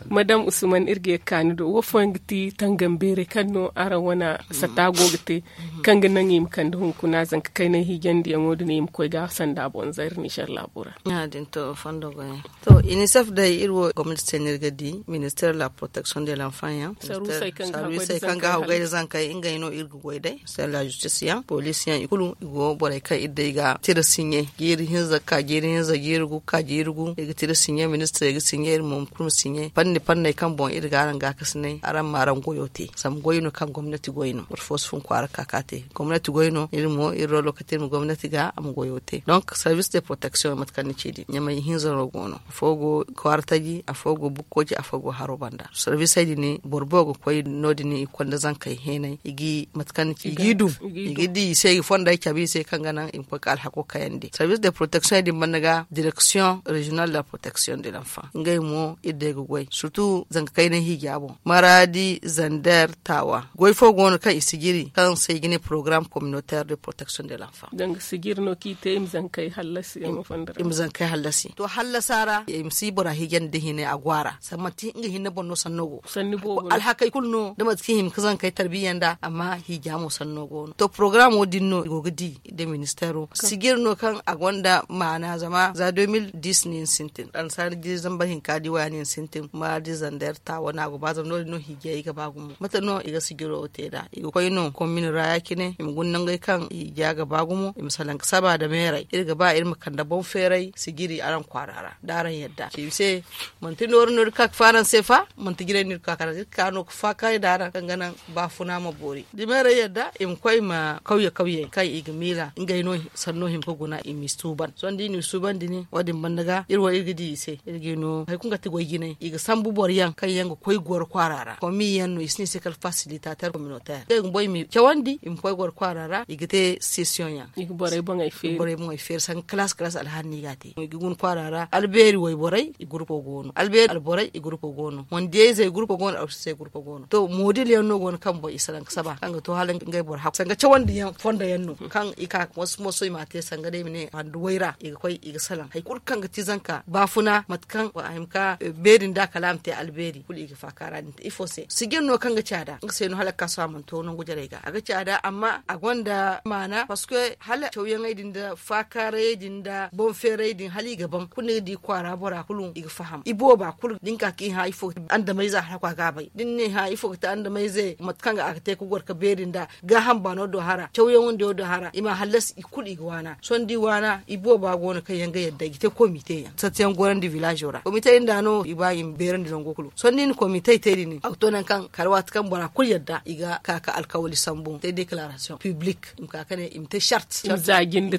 Madam usman iri ga ye ga ka ni do wo fooyaŋ ga ti tangam beeray kaŋ no araŋ wane sata go ga te kaŋ ga naŋ i ma kande hunkuna zanka kaynay hiijandiyaŋo din i ma koy ga sanda boŋ zayra nizer laabo ra. Ya- din to fondo goyaŋ. To inisef day iri wo gomnati se no iri ga di minister de la protection de l'enfant yaŋ. Sarwisey kaŋ ga haw gay nda zankey ngey no iri ga goy day minister de la justice yaŋ police yaŋ i kulu i go borey kaŋ iri day ga tira siɲe jiiri hinza ga ka jiiri hinza jiiri gu ga ka jiiri gu iri ga tira siɲe ministirey ga siɲe iri mo kulu ma siɲe fanni fanney kaŋ boŋ iri ga araŋ gaakasinay araŋ ma araŋ goyo te zama goy no kaŋ gomnati goy no boro fo si fun kwaara ga ka ga a te. Gomnati goy no iri mo iri rolo ga te iri ma gomnati ga a ma goyo te donc service de protection mate kaŋ ni ci din ɲamay hinza no go no afo go kwaara taji afo go bukkoji afo go haro banda. Sarwisey din boro boobo ga koy no- din i konda zankey heenay i ga mate kaŋ ni ci i ga i dum i ga di i se i ga fondey cabe i se kaŋ ga naŋ i ma koy ga alhako kayandi sarwis de protection din banda ga direction regional de la protection de l'enfant ngey mo iri day ga goy surtout zanka kaynay hiija boŋ maradi zander tawa goy fo go no kaŋ i sijiri kaŋ se i ga ne programme communautaire de protection de l'enfant. Danga sijiri no kaŋ i te i ma zankey hallasi yaŋo fondo ra i ma zankey hallasi to hallasa ra i ma si bora hiijandi da hinay a go a ra zama manti nga hinne boŋ no sanno go sanni boobo no alhakey kulu no da mate kaŋ i hima ga zankey tarbiya nd'a amma hiija mo sanno go no to programo din no i go ga di da ministero sijiri no kaŋ a gonda maana zama za deux mille dix no yaŋ sintin annasaara jiiri zambar hinka di waya no yaŋ sintin maradi zander tawa no a go ba zama no- din no hiijay ga ba gumo mate no i ga sijiro te nd'a i ga koy no komini ra ya- cine i ma guna nangey kaŋ i ja ga ba gumo i ma salaŋ ga saba nda meerey iri ga ba iri ma kande boŋ feeray sijiri araŋ kwaara ra da araŋ yadda i se manti nooru no iri ga ka ga faranse fa manti jinay no iri ga ka ga faranse iri ga ka no ga faakaaray nda araŋ kaŋ ga naŋ baafuna ma boori da meerey yadda i ma koy i ma kawye kawyey kaŋ i ga miila ngey no sanno hima ga guna i m'i suuban sohõ da i n'i suuban din wo- din banda ga iri wo iri ga di i se iri ga i no hari kulu ga ti goy jinay i ga sambu boro yaŋ kaŋ yaŋ ga koy goro kwaara ra komi yaŋ no i si ne i se kala fasilitater communautaire ngey bumbo i m'i cawandi i ma koy goro kwaara ra i ga te sesiyoŋ yaŋ i ga borey boŋey feeri sanga kalaasi kalaasi alhaali no i ga a te i ga guna kwaara ra albeeri wayborey i gurupo go no albeeri alborey i gurupo go no mondiyayzey gurupo go no alsisey gurupo go no to moodil yaŋ no go no kaŋ boŋ i salaŋ ga saba kaŋ ga to hala ngey boro hakku sanga cawandi yaŋ fondo yaŋ no kaŋ i ka moso moso i m'a te sanga day i ma ne handu wayra i ga koy i ga salaŋ hari kulu kaŋ ga ti zanka baafuna mate kaŋ a hima ga beeri nda kala a ma te albeeri kulu i ga faaka ra din te ifo se sijir no kaŋ ga caada nga se no hala ga ka sohõ a mana to nangu jarey ga a ga caada amma a gonda maana parceque hala cawyaŋey din nda faakaarayey din nda boŋ feerayey din hala i ga ban kulu ni ga di kwaara bora kulu i ga faham i booba kulu da ni ka ga ka i hã ifo ga te andamayze hala kwa ga a bay da ni ne hã ifo ga te andamayze mate kaŋ a ga te ga goro ga beeri nda gaaham baano do hara cawyaŋo nda yaŋ do hara i ma hallasi i kulu i ga waana sohõ da i waana i booba go no kaŋ yaŋ ga yadda i ga te komite yaŋ sarti yaŋ gorandi villazo ra komite din da no i ba i ma beerandi nango kulu sohõ da i na komite te din a ga to nangu kaŋ kala waati kaŋ bora kulu yadda i ga ka ga alkawali sambu te declaration public i ma ka ga ne i ma te shart i ma za jinde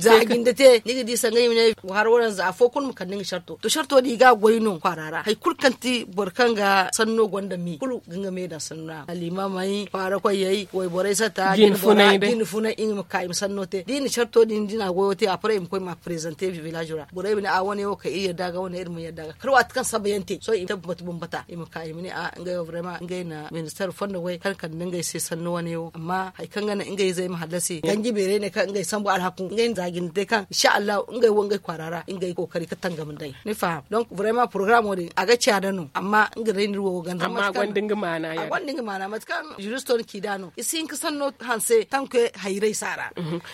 te ni ga di sanga i ma ne hara waranza afo kulu ma kande nga sharto to sharto din i ga a goy no kwaara ra hari kulu kaŋ ti boro kaŋ ga sanno gonda me kulu ga nga me daŋ sanno ra alimamey kwaara koyey wayborey sata jine funay i ma ka i ma sanno te da i na sharto din da i na a goyo te après i ma koy ma prezante village ra borey ma ne a wane wo kay iri yadda ga wane iri ma yadda ga kala waati kaŋ saba yaŋ te sohõ i ma te bambata bambata i ma ka i ma ne a ngey wo vraiment ngey na minister fondo goy kaŋ kande ngey se sanno wane wo amma hari kaŋ ga naŋ ngey izey ma hallasi ganji beerey ne kaŋ ngey sambu alhaku ngey na za jinde te kaŋ insha allahu ngey wo ngey kwaara ra ngey kookari ga tangam nd'ey ni faham donc vraiment programo din a ga caada no Amma nga day no iri wo ga ganda amma a gonda nga maana ya. Mate kaŋ ziristo ni ci nd'a no i si hin ga sanno hanse tanke hayray si a ra.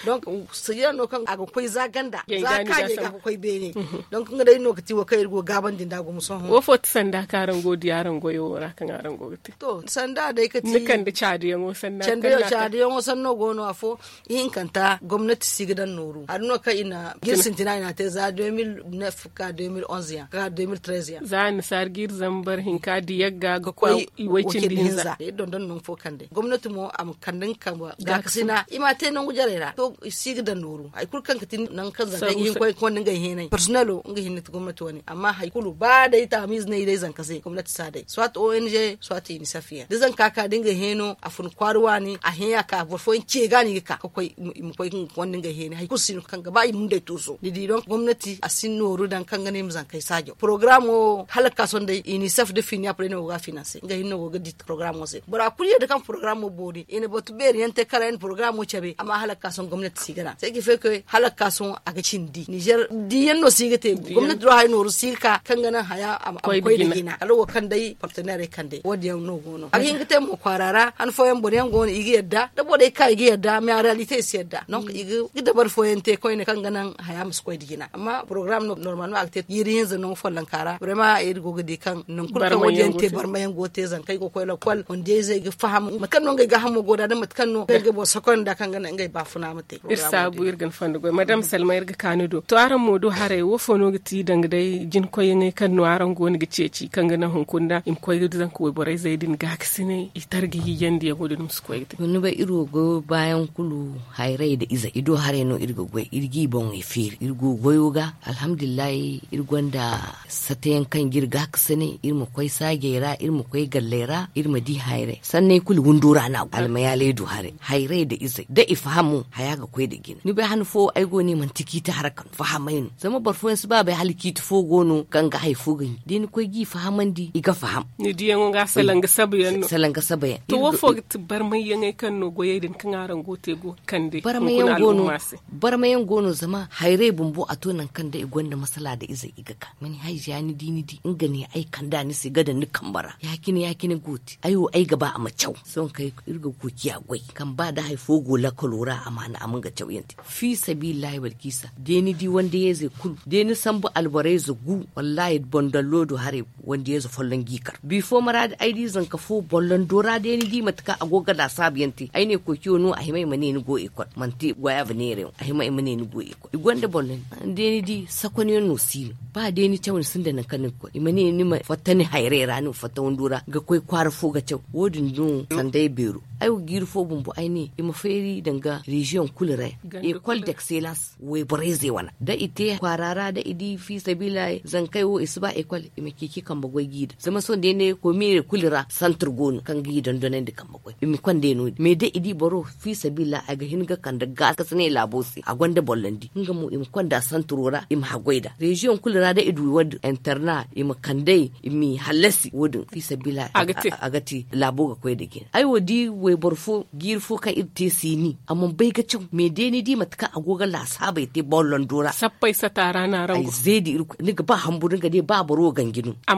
Donk sijira no kaŋ a ga koy za ganda za kaani ga ga koy beene. Donk nga day no ga ti wo kaŋ iri go ga gaabandi nd'a gumo sohõ. Wo fo ti sanda kaŋ araŋ go ga di araŋ goyo wo ra kaŋ araŋ go ga te? To sanda day ga ti ni kande caadiyaŋo sanna kaŋ na a te caadiyaŋo sanno go no afo. Ihinkanta gomnati si ga daŋ nooru hari no kaŋ i na ga iri sintina i na a te za deux mille neuf ka deux mille onze yaŋ ka deux mille treize yaŋ. Za annasaari ga iri zambar hinka da yagga ga koy i way cindi hinza. Iri dondon nangu fo kande gomnati mo a ma kande nga kambe gaakasina i m'a te nangu jarey ra to i si ga daŋ nooru hari kulu kaŋ ga ti nangu kaŋ zankey ga hin ga koy ga konda ngey heenay parsinelo nga hinne ti gomnati wane amma hari kulu ba day taamiize no i day zanka se gomnati si a day soit ong soit inisef yaŋ da zanka ka da ngey heeno a fun kwaara waani a hẽ a ka boro fooyaŋ ce ga no i ga ka ga koy i ma koy ga nga konda ngey heenay hari kulu si no kaŋ ga ba i ma hunday tuuso ni di donk gomnati a si nooru daŋ kaŋ ga ne i ma zankey saajaw porogaraamo hala ga ka sohõ day inisef nda finiya pare no go ga a finanse nga hinne no go ga di porogaraamo se bora kulu yadda kaŋ porogaraamo boori i na batu beeri yaŋ te kala yaŋ na porogaraamo cabe amma hala ga ka sohõ gomnati si ga naŋ se ga feeke hala ga ka sohõ a ga cindi nizer di yaŋ no si ga te gomnati do haya nooru si ga ka kaŋ ga naŋ haya a ma koy nda jina kala wo kaŋ day parteneerey kande wo- din yaŋ no go no a ga hin ga te mo kwaara ra han fooyaŋ boro yaŋ go no i ga yadda da borey ka i ga yadda mais a realite i si yadda donk i ga dabari fooyaŋ te koyne kaŋ ga naŋ haya ma si koy nda jina amma porogaraam no normalement a ga te jiiri hinza nangu follonka ra barema iri go ga di kaŋ nangu kulu kaŋ wo- din yaŋ te barma yaŋ go ga te zankey go ga koy lakkol wandiyayzey ga faham mate kaŋ no ngey gaahamo go nd'a da mate kaŋ no ngey ga boro sokoy nd'a kaŋ ga naŋ ngey baafuna ma te iri saabu iri ga ni fondo goy madame salma iri ga ka ni do to araŋ mo du haray wo fo no ga ti danga day jinkoyyaŋey kaŋ no araŋ go no ga ceeci kaŋ ga naŋ hunkuna i ma koy ga zanka wayborey zey din gaakasinay i targa hiijandiyaŋo din ma si koy ga te ni bay iri wo goyo baayaŋ kulu hayray nda izey i do haray no iri ga goy iri g'i boŋey feeri iri go goyo ga alhamdulillahi iri gonda satayaŋ kaŋ ga iri gaakasinay iri ma koy saajey ra iri ma koy galley ra iri ma di hayray sanney kulu windo ra no a go almayaaley du haray hayray nda izey da i faham mo haya ga koy nda jina ni bay han fo ay go ne manti ciiti haraka no fahamay no zama boro fooyaŋ si ba bay hala ciiti fo go no kaŋ ga hari fo ga ɲi da ni koy g'i fahamandi i ga faham ni diyaŋo ga salanga sabayaŋ no salanga sabayaŋ to wo fo ga ti barmayyaŋey kaŋ no goyey din kaŋ araŋ go ga te go ga kande barmayaŋ go no barmayaŋ go no zama hayray bumbo a to nangu kaŋ da i gonda masala nda izey i ga ka mani hayziya ni di ni di nga ne ay kanda ni se ga daŋ ni kambe ra ya- cine ya- cine go ga te ay wo ay ga ba a ma caw sohõ kaŋ iri ga go ga ciya goy kaŋ ba da hari fo go lakkalo ra a ma naŋ a ma nga cawyaŋ te fi sabilillahi balkisa day ni di wandayeyzey kulu day ni sambu alborayze gu wallahi bondallo do haray wandayeyze folloŋ g'i kar bifo maraadi ay di zanka fo bollondo ra day ni di mate kaŋ a go ga laasaabuyaŋ te ay ne koociyo no a hima i ma ne ni go ekol manti goyaabu neera yaŋ a hima i ma ne ni go ekol i gonda bollondi day ni di sakonyaŋ no si no ba day ni caw ni sinda nangu kaŋ ni ga koy i ma ne ni ma fatta ni hayray ra ni ma fatta wando ra ga koy kwaara fo ga caw wo- din no sanda ay beero ay wo jiiri fo bumbo ay ne i ma feeri danga reziyoŋ kulu ra ekol d'excellence wayborayzey wane da i te kwaara ra da i di fi sabiila zankey wo i si ba ekol i ma ceeci kambe goy g'i daŋ zama sohõ day ne komiirey kulu ra santir go no kaŋ g'i dondonandi kambe goy i ma konda no- din mais da i di boro fi sabiila a ga hin ga kande gaakasinay laabo se a gonda bollondi nga mo i ma konda santiro ra i ma haggoy nd'a reziyoŋ kulu ra da i du wo- din interna i ma kand'ey i m'i hallasi wo- din fi sabiila a ga te laabo ga koy nda jina ay wo di wayboro fo jiiri fo kaŋ iri te siini a mana bay ga caw mais day ni di mate kaŋ a go ga laasaabey te bollondo ra sappey sata ra no a raŋ go ay zeedi irkoy ni ga ba hamburu nga day ba boro wo ganji no a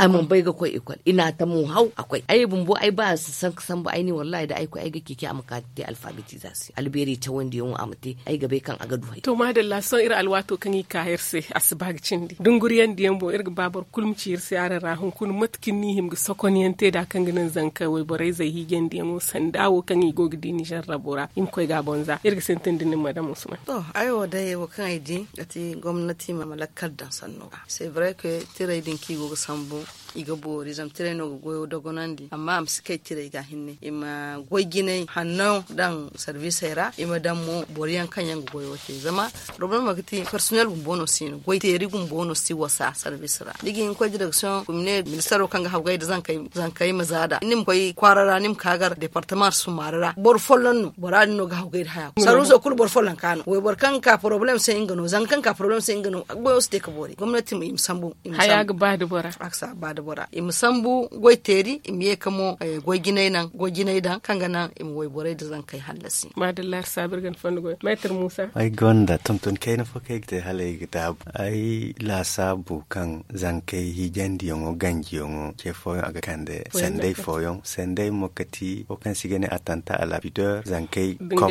mana bay ga koy ekol i n'a tamo haw a koy ay bumbo ay ba sanka sambu ay ne wallahi da ay koy ay ga ceeci a ma ka te alfabetizasiyoŋ albeeri cawandiyaŋo a ma te ay ga bay kaŋ a ga du hari to maadalla sohõ iri alwaato kaŋ i ka iri se a si ba ga cindi dunguriyandiyaŋ boŋ iri ga ba boro kulu ma ci iri se araŋ ra hunkuna mate kaŋ ni hima ga sokonyaŋ te nd'a kaŋ ga naŋ zanka wayborayzey hiijandiyaŋo sanda wo kaŋ i go ga di nizer rabo ra i ma koy ga a boŋ za iri ga sintin da nin madam usman to ay wo day wo kaŋ ay di ga ti gomnati ma lakkal daŋ sanno ga c'est vrai que tiray din kaŋ i go ga sambu i ga boori zama tiray no ga goyo dogonandi amma a ma si kay tiray ga hinne i ma goy jinay hanno daŋ sarvisey ra i ma daŋ mo boro yaŋ kaŋ yaŋ ga goyo te zama problema ga ti personel bumbo no si no goy teeri bumbo no si wasa sarvis ra ni ga hin ga koy direksiyoŋ kumine ministaro kaŋ ga hawgay nda zankey ma za nd'a ni ma koy kwaara ra ni ma ka gar departama summaari ra boro folloŋ no bora din no ga hawgay nda haya sarviso kulu boro folloŋ ka no wayboro kaŋ ga ka poroblem se nga no zanka kaŋ ga ka poroblem se nga no goyo si te ga boori gomnati ma i ma sambu i ma sambu haya ga ba nda bora a ga si a ba nda Bora i ma sambu goy teeri i ma ye ka mo goy jinay daŋ kaŋ ga naŋ i ma wayborey nda zankey hallasi. Maadalla iri saabu iri ga ni fondo goy meetar muusa. Ay gonda tonton kayna fo kaŋ ay ga te hala ay ga daabu ay laasaabu kaŋ zankey hiijandiyaŋo ganjiyaŋo ce fooyaŋ a ga kande sanday fooyaŋ sanday mo kati wo kaŋ se i ga ne attanta a la pudeur zankey kom.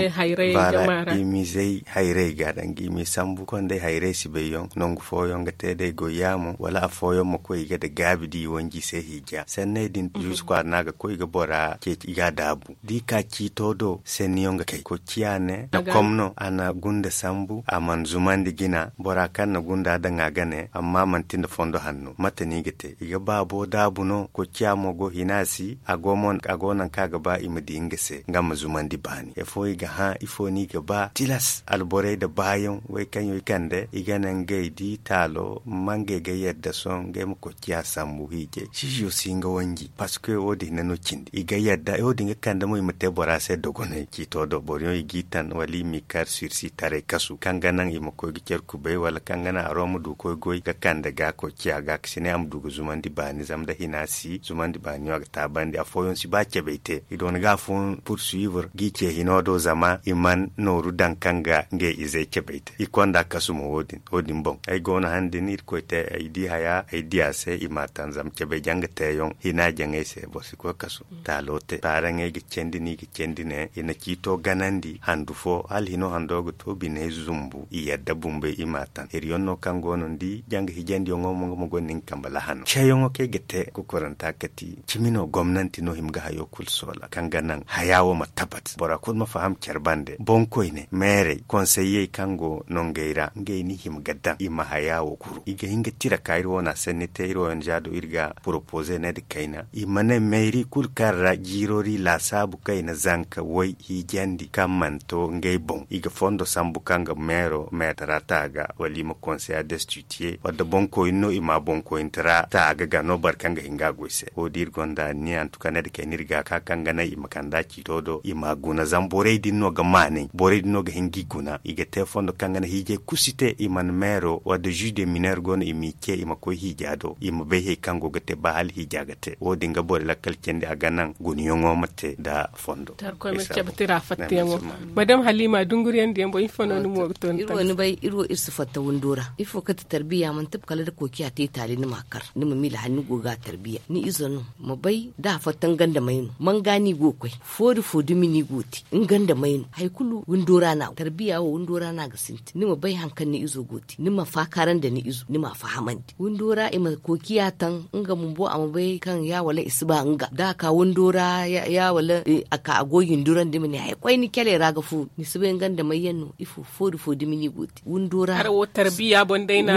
Baala i ma izey hayrey ga danga i ma i sambu konday hayrey si bay yaŋ nangu fooyaŋ ga te day goy yaamo wala affooyaŋ ma koy i ga da gaabi da i wanji se hiija sanney din. Zuusu kwaara no a ga koy i ga bora ceeci i ga a daabu da i ka ciito do sanniyaŋ ga kay koy ciya ne a kom no a na gunda sambu a mana zumandi jina bora kaŋ na gunda daŋ a ga ne amma manti nda fondo hanno mate no i ga te i ga baabo daabu no koy ciya mo go hina si a go nangu kaŋ a ga ba i ma di nga se nga ma zumandi baani ifo i ga hã ifo no i ga ba tilas alborey nda baayaŋ way kaŋ yaŋ i kande i ga ne ngey di taalo ma ngey ga yadda sohõ ngey ma koy ciya sambu hiijay siizo si nga wanji parceque wo- din hinne no cindi i ga yadda wo- din ga kande mo i ma te bora se dogonay ciito do boro yaŋ i g'i tan wala i m'i kar sursi taray kasu kaŋ ga naŋ i ma koy ga care kubay wala kaŋ ga naŋ a ro ma du koy goy ga kande ga koy ciya ga ka si ne a ma du ga zumandi baani zama nda hina si zumandi baani yaŋ a ga taabandi affooyaŋ si ba cabay te i doona ga affooyaŋ pursuivre g'i ce hino do zama i mana nooru daŋ kaŋ ga ngey izey cabay te i konda kasu mo wo- din boŋ ay go no han din irkoy te ay di haya ay di a se i m'a taŋ zama cabay jaŋ ga teeyaŋ hina jaŋay se boro si koy kasu taalo te baaraŋey ga candi no i ga candi ne i na ciito ganandi handu fo hala hino hando ga to biney zumbu i yadda bumbey i m'a taŋ hiriyaŋ no kaŋ go no ni di jaŋ ga hiijandiyaŋo mo nga ma gonda nga kambe lahano ceeyaŋo kaŋ ay ga te kokoranta kati cimi no gomnanti no hima ga hayo kulu soola kaŋ ga naŋ haya wo ma tabat bora kulu ma faham care bande boŋkoyne meerey konseyyey kaŋ go nongey ra ngey no i hima ga daŋ i ma haya wo kuru i ga hin ga tira ka iri wo no a sanni te iri wo yaŋ za do iri ga poropoze ne nda kayna i ma ne meeri kulu kaŋ ra jiirori laasaabu kaŋ i na zanka way hiijandi kaŋ mana to ngey boŋ i ga fondo sambu kaŋ ga meero meetara ta ga wala i ma konseya destitiye wadda boŋkoyne no i ma boŋkoyne tara ta ga ga no boro kaŋ ga hin ga a goy se wo- din iri gonda ni antuka ne nda kayna iri ga ka kaŋ ga naŋ i ma kand'a ciito do i m'a guna zama borey din no ga maanay borey din no ga hin g'i guna i ga te fondo kaŋ ga naŋ hiijay kulu si te i mana meero wadda juge de mineur go no i m'i ce i ma koy hiija do i ma bay hari kaŋ go ga te ba hala hiija ga te wo- din ga borey lakkal candi a ga naŋ gunayaŋo ma te nda fondo. Madam halima dunguriyandiyaŋ boŋ ifo no ni mo ga to ni tangasi? Iri wo iri si fatta windo ra ifo kaŋ ti tarbiya manti kala da koociya te taali ni m'a kar ni ma miila hala ni go ga a tarbiya ni izo no ma bay da a fatta nga nda may no manga no i go ga koy foori fo dumi no i go ga te nga nda may no hari kulu windo ra no a go tarbiya wo windo ra no a ga sintin ni ma bay hari kaŋ ni izo go ga te ni ma faakaara nda ni izo ni m'a fahamandi windo ra i ma koociya taŋ nga bumbo a ma bay kaŋ ya wala i si ba nga da a ka windo ra ya wala a ka a go ga i ndurandi ma ne hari koyne caley ra ga fooru ni si bay nga nda may yaŋ no ifo foori fo dumi no i go ga te windo ra.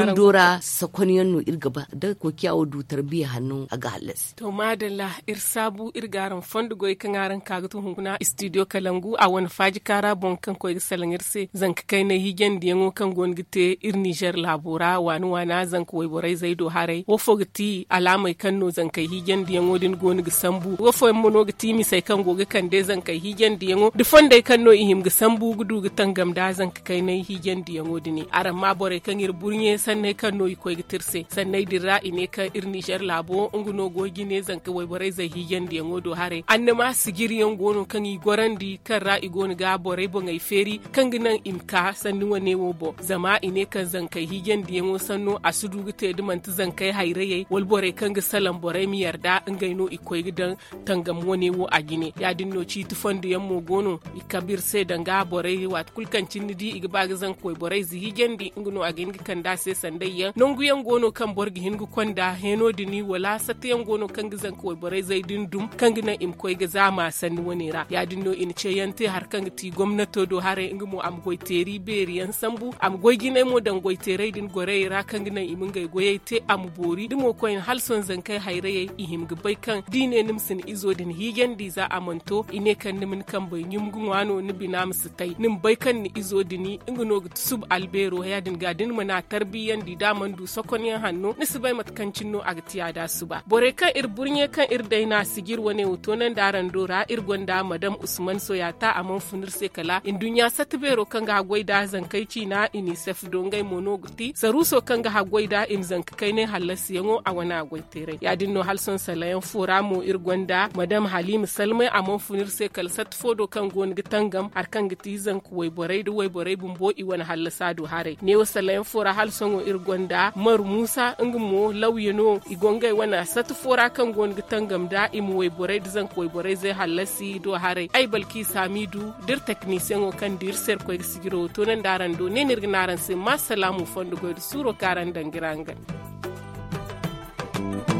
Windo ra sakon yaŋ no iri ga ba da koociya wo du tarbiya hanno a ga hallasi. To maadalla iri saabu iri ga araŋ fondo goy kaŋ araŋ ka ga tun hunkuna studio kalangu a wane faaji kaara boŋ kaŋ koy ga salaŋ iri se zanka kaynay hiijandiyaŋo kaŋ go no ga te iri nizer laabo ra waana waana zanka wayborey zay do haray wo fo ga ti alaamey kaŋ no zankey hiijandiyaŋo din go no ga sambu wo fooyaŋ mo no ga ti misey kaŋ go ga kande zankey hiijandiyaŋo nda fondey kaŋ no i hima ga sambu ga du ga tangam nda zanka kaynay hiijandiyaŋo din araŋ ma borey kaŋ iri burɲe sanney kaŋ no i koy ga te iri se sanney din ra i ne kaŋ iri nizer laabo nga no go ga jine zanka wayborey zay hiijandiyaŋo do haray annama sijiriyaŋ go no kaŋ i gorandi kaŋ ra i go no ga borey boŋey feeri kaŋ ga naŋ i ma ka sanni wane wo boŋ zama i ne kaŋ zankey hiijandiyaŋo sanno a si du ga te da manti zankey hayrayey wala borey kaŋ ga salaŋ borey ma yarda ngey no i koy ga daŋ tangam wane wo a jine ya- din no ciiti fondo yaŋ mo go no i kabe iri se danga borey waati kulu kaŋ cine ni di i ga ba ga zanka wayborey zihiijandi nga no a ga hin ga kande a se sanday yaŋ nangu yaŋ go no kaŋ boro ga hin ga konda heeno din wala satta yaŋ go no kaŋ ga zanka wayborey zay din dum kaŋ ga naŋ i ma koy ga zaama sanni wane ra ya- din no i na ce yaŋ te hari kaŋ ga ti gomnato do haray nga mo a ma goy teeri beeri yaŋ sambu a ma goy jinay mo daŋ goy teeray din gorayey ra kaŋ ga naŋ i ma ngey goyey te a ma boori da mo koyne hala sohõ zankey hayrayey i hima ga bay kaŋ da i ne ni ma si ni izo din hiijandi za a mana to i ne kaŋ ni ma ni kambey ɲum ga ŋwa no ni bina ma si tay ni ma bay kaŋ ni izo din nga no ga ti suba albeero ya- din ga da ni mana tarbiyandi da a mana du sokonyaŋ hanno ni si bay mate kaŋ cine no a ga ti a da suba borey kaŋ iri burɲe kaŋ iri day no a sijir wane wo toonandi araŋ do ra iri gonda madam usman soyata a mana fun iri se kala nduɲɲa satta beero kaŋ ga haggoy da zankey ciina inisef do ngey mo no ga ti saruuso kaŋ ga haggoy da i ma zanka kaynay hallasiyaŋo a wane a goy teeray ya- din no hala sohõ salayaŋ fo ra mo iri gonda madam haliima salmay a mana fun iri se kala satta fo do kaŋ go no ga tangam hari kaŋ ga ti zanka wayborey nda wayborey bumbo i wane hallasa do haray neewo salayaŋ fo ra hala sohõ iri gonda maru muusa nga mo lawya no i go ngey wane satta fo ra kaŋ go no ga tangam nda i ma wayborey nda zanka wayborey zey hallasi i do haray ay balki saamiidu da iri teknisiyaŋo kaŋ da iri se iri koy ga sijiro wo toonandi araŋ do ne no iri ga ne araŋ se ma salaamu fondo goy nda suuro kaŋ araŋ daŋ ga iri araŋ gana.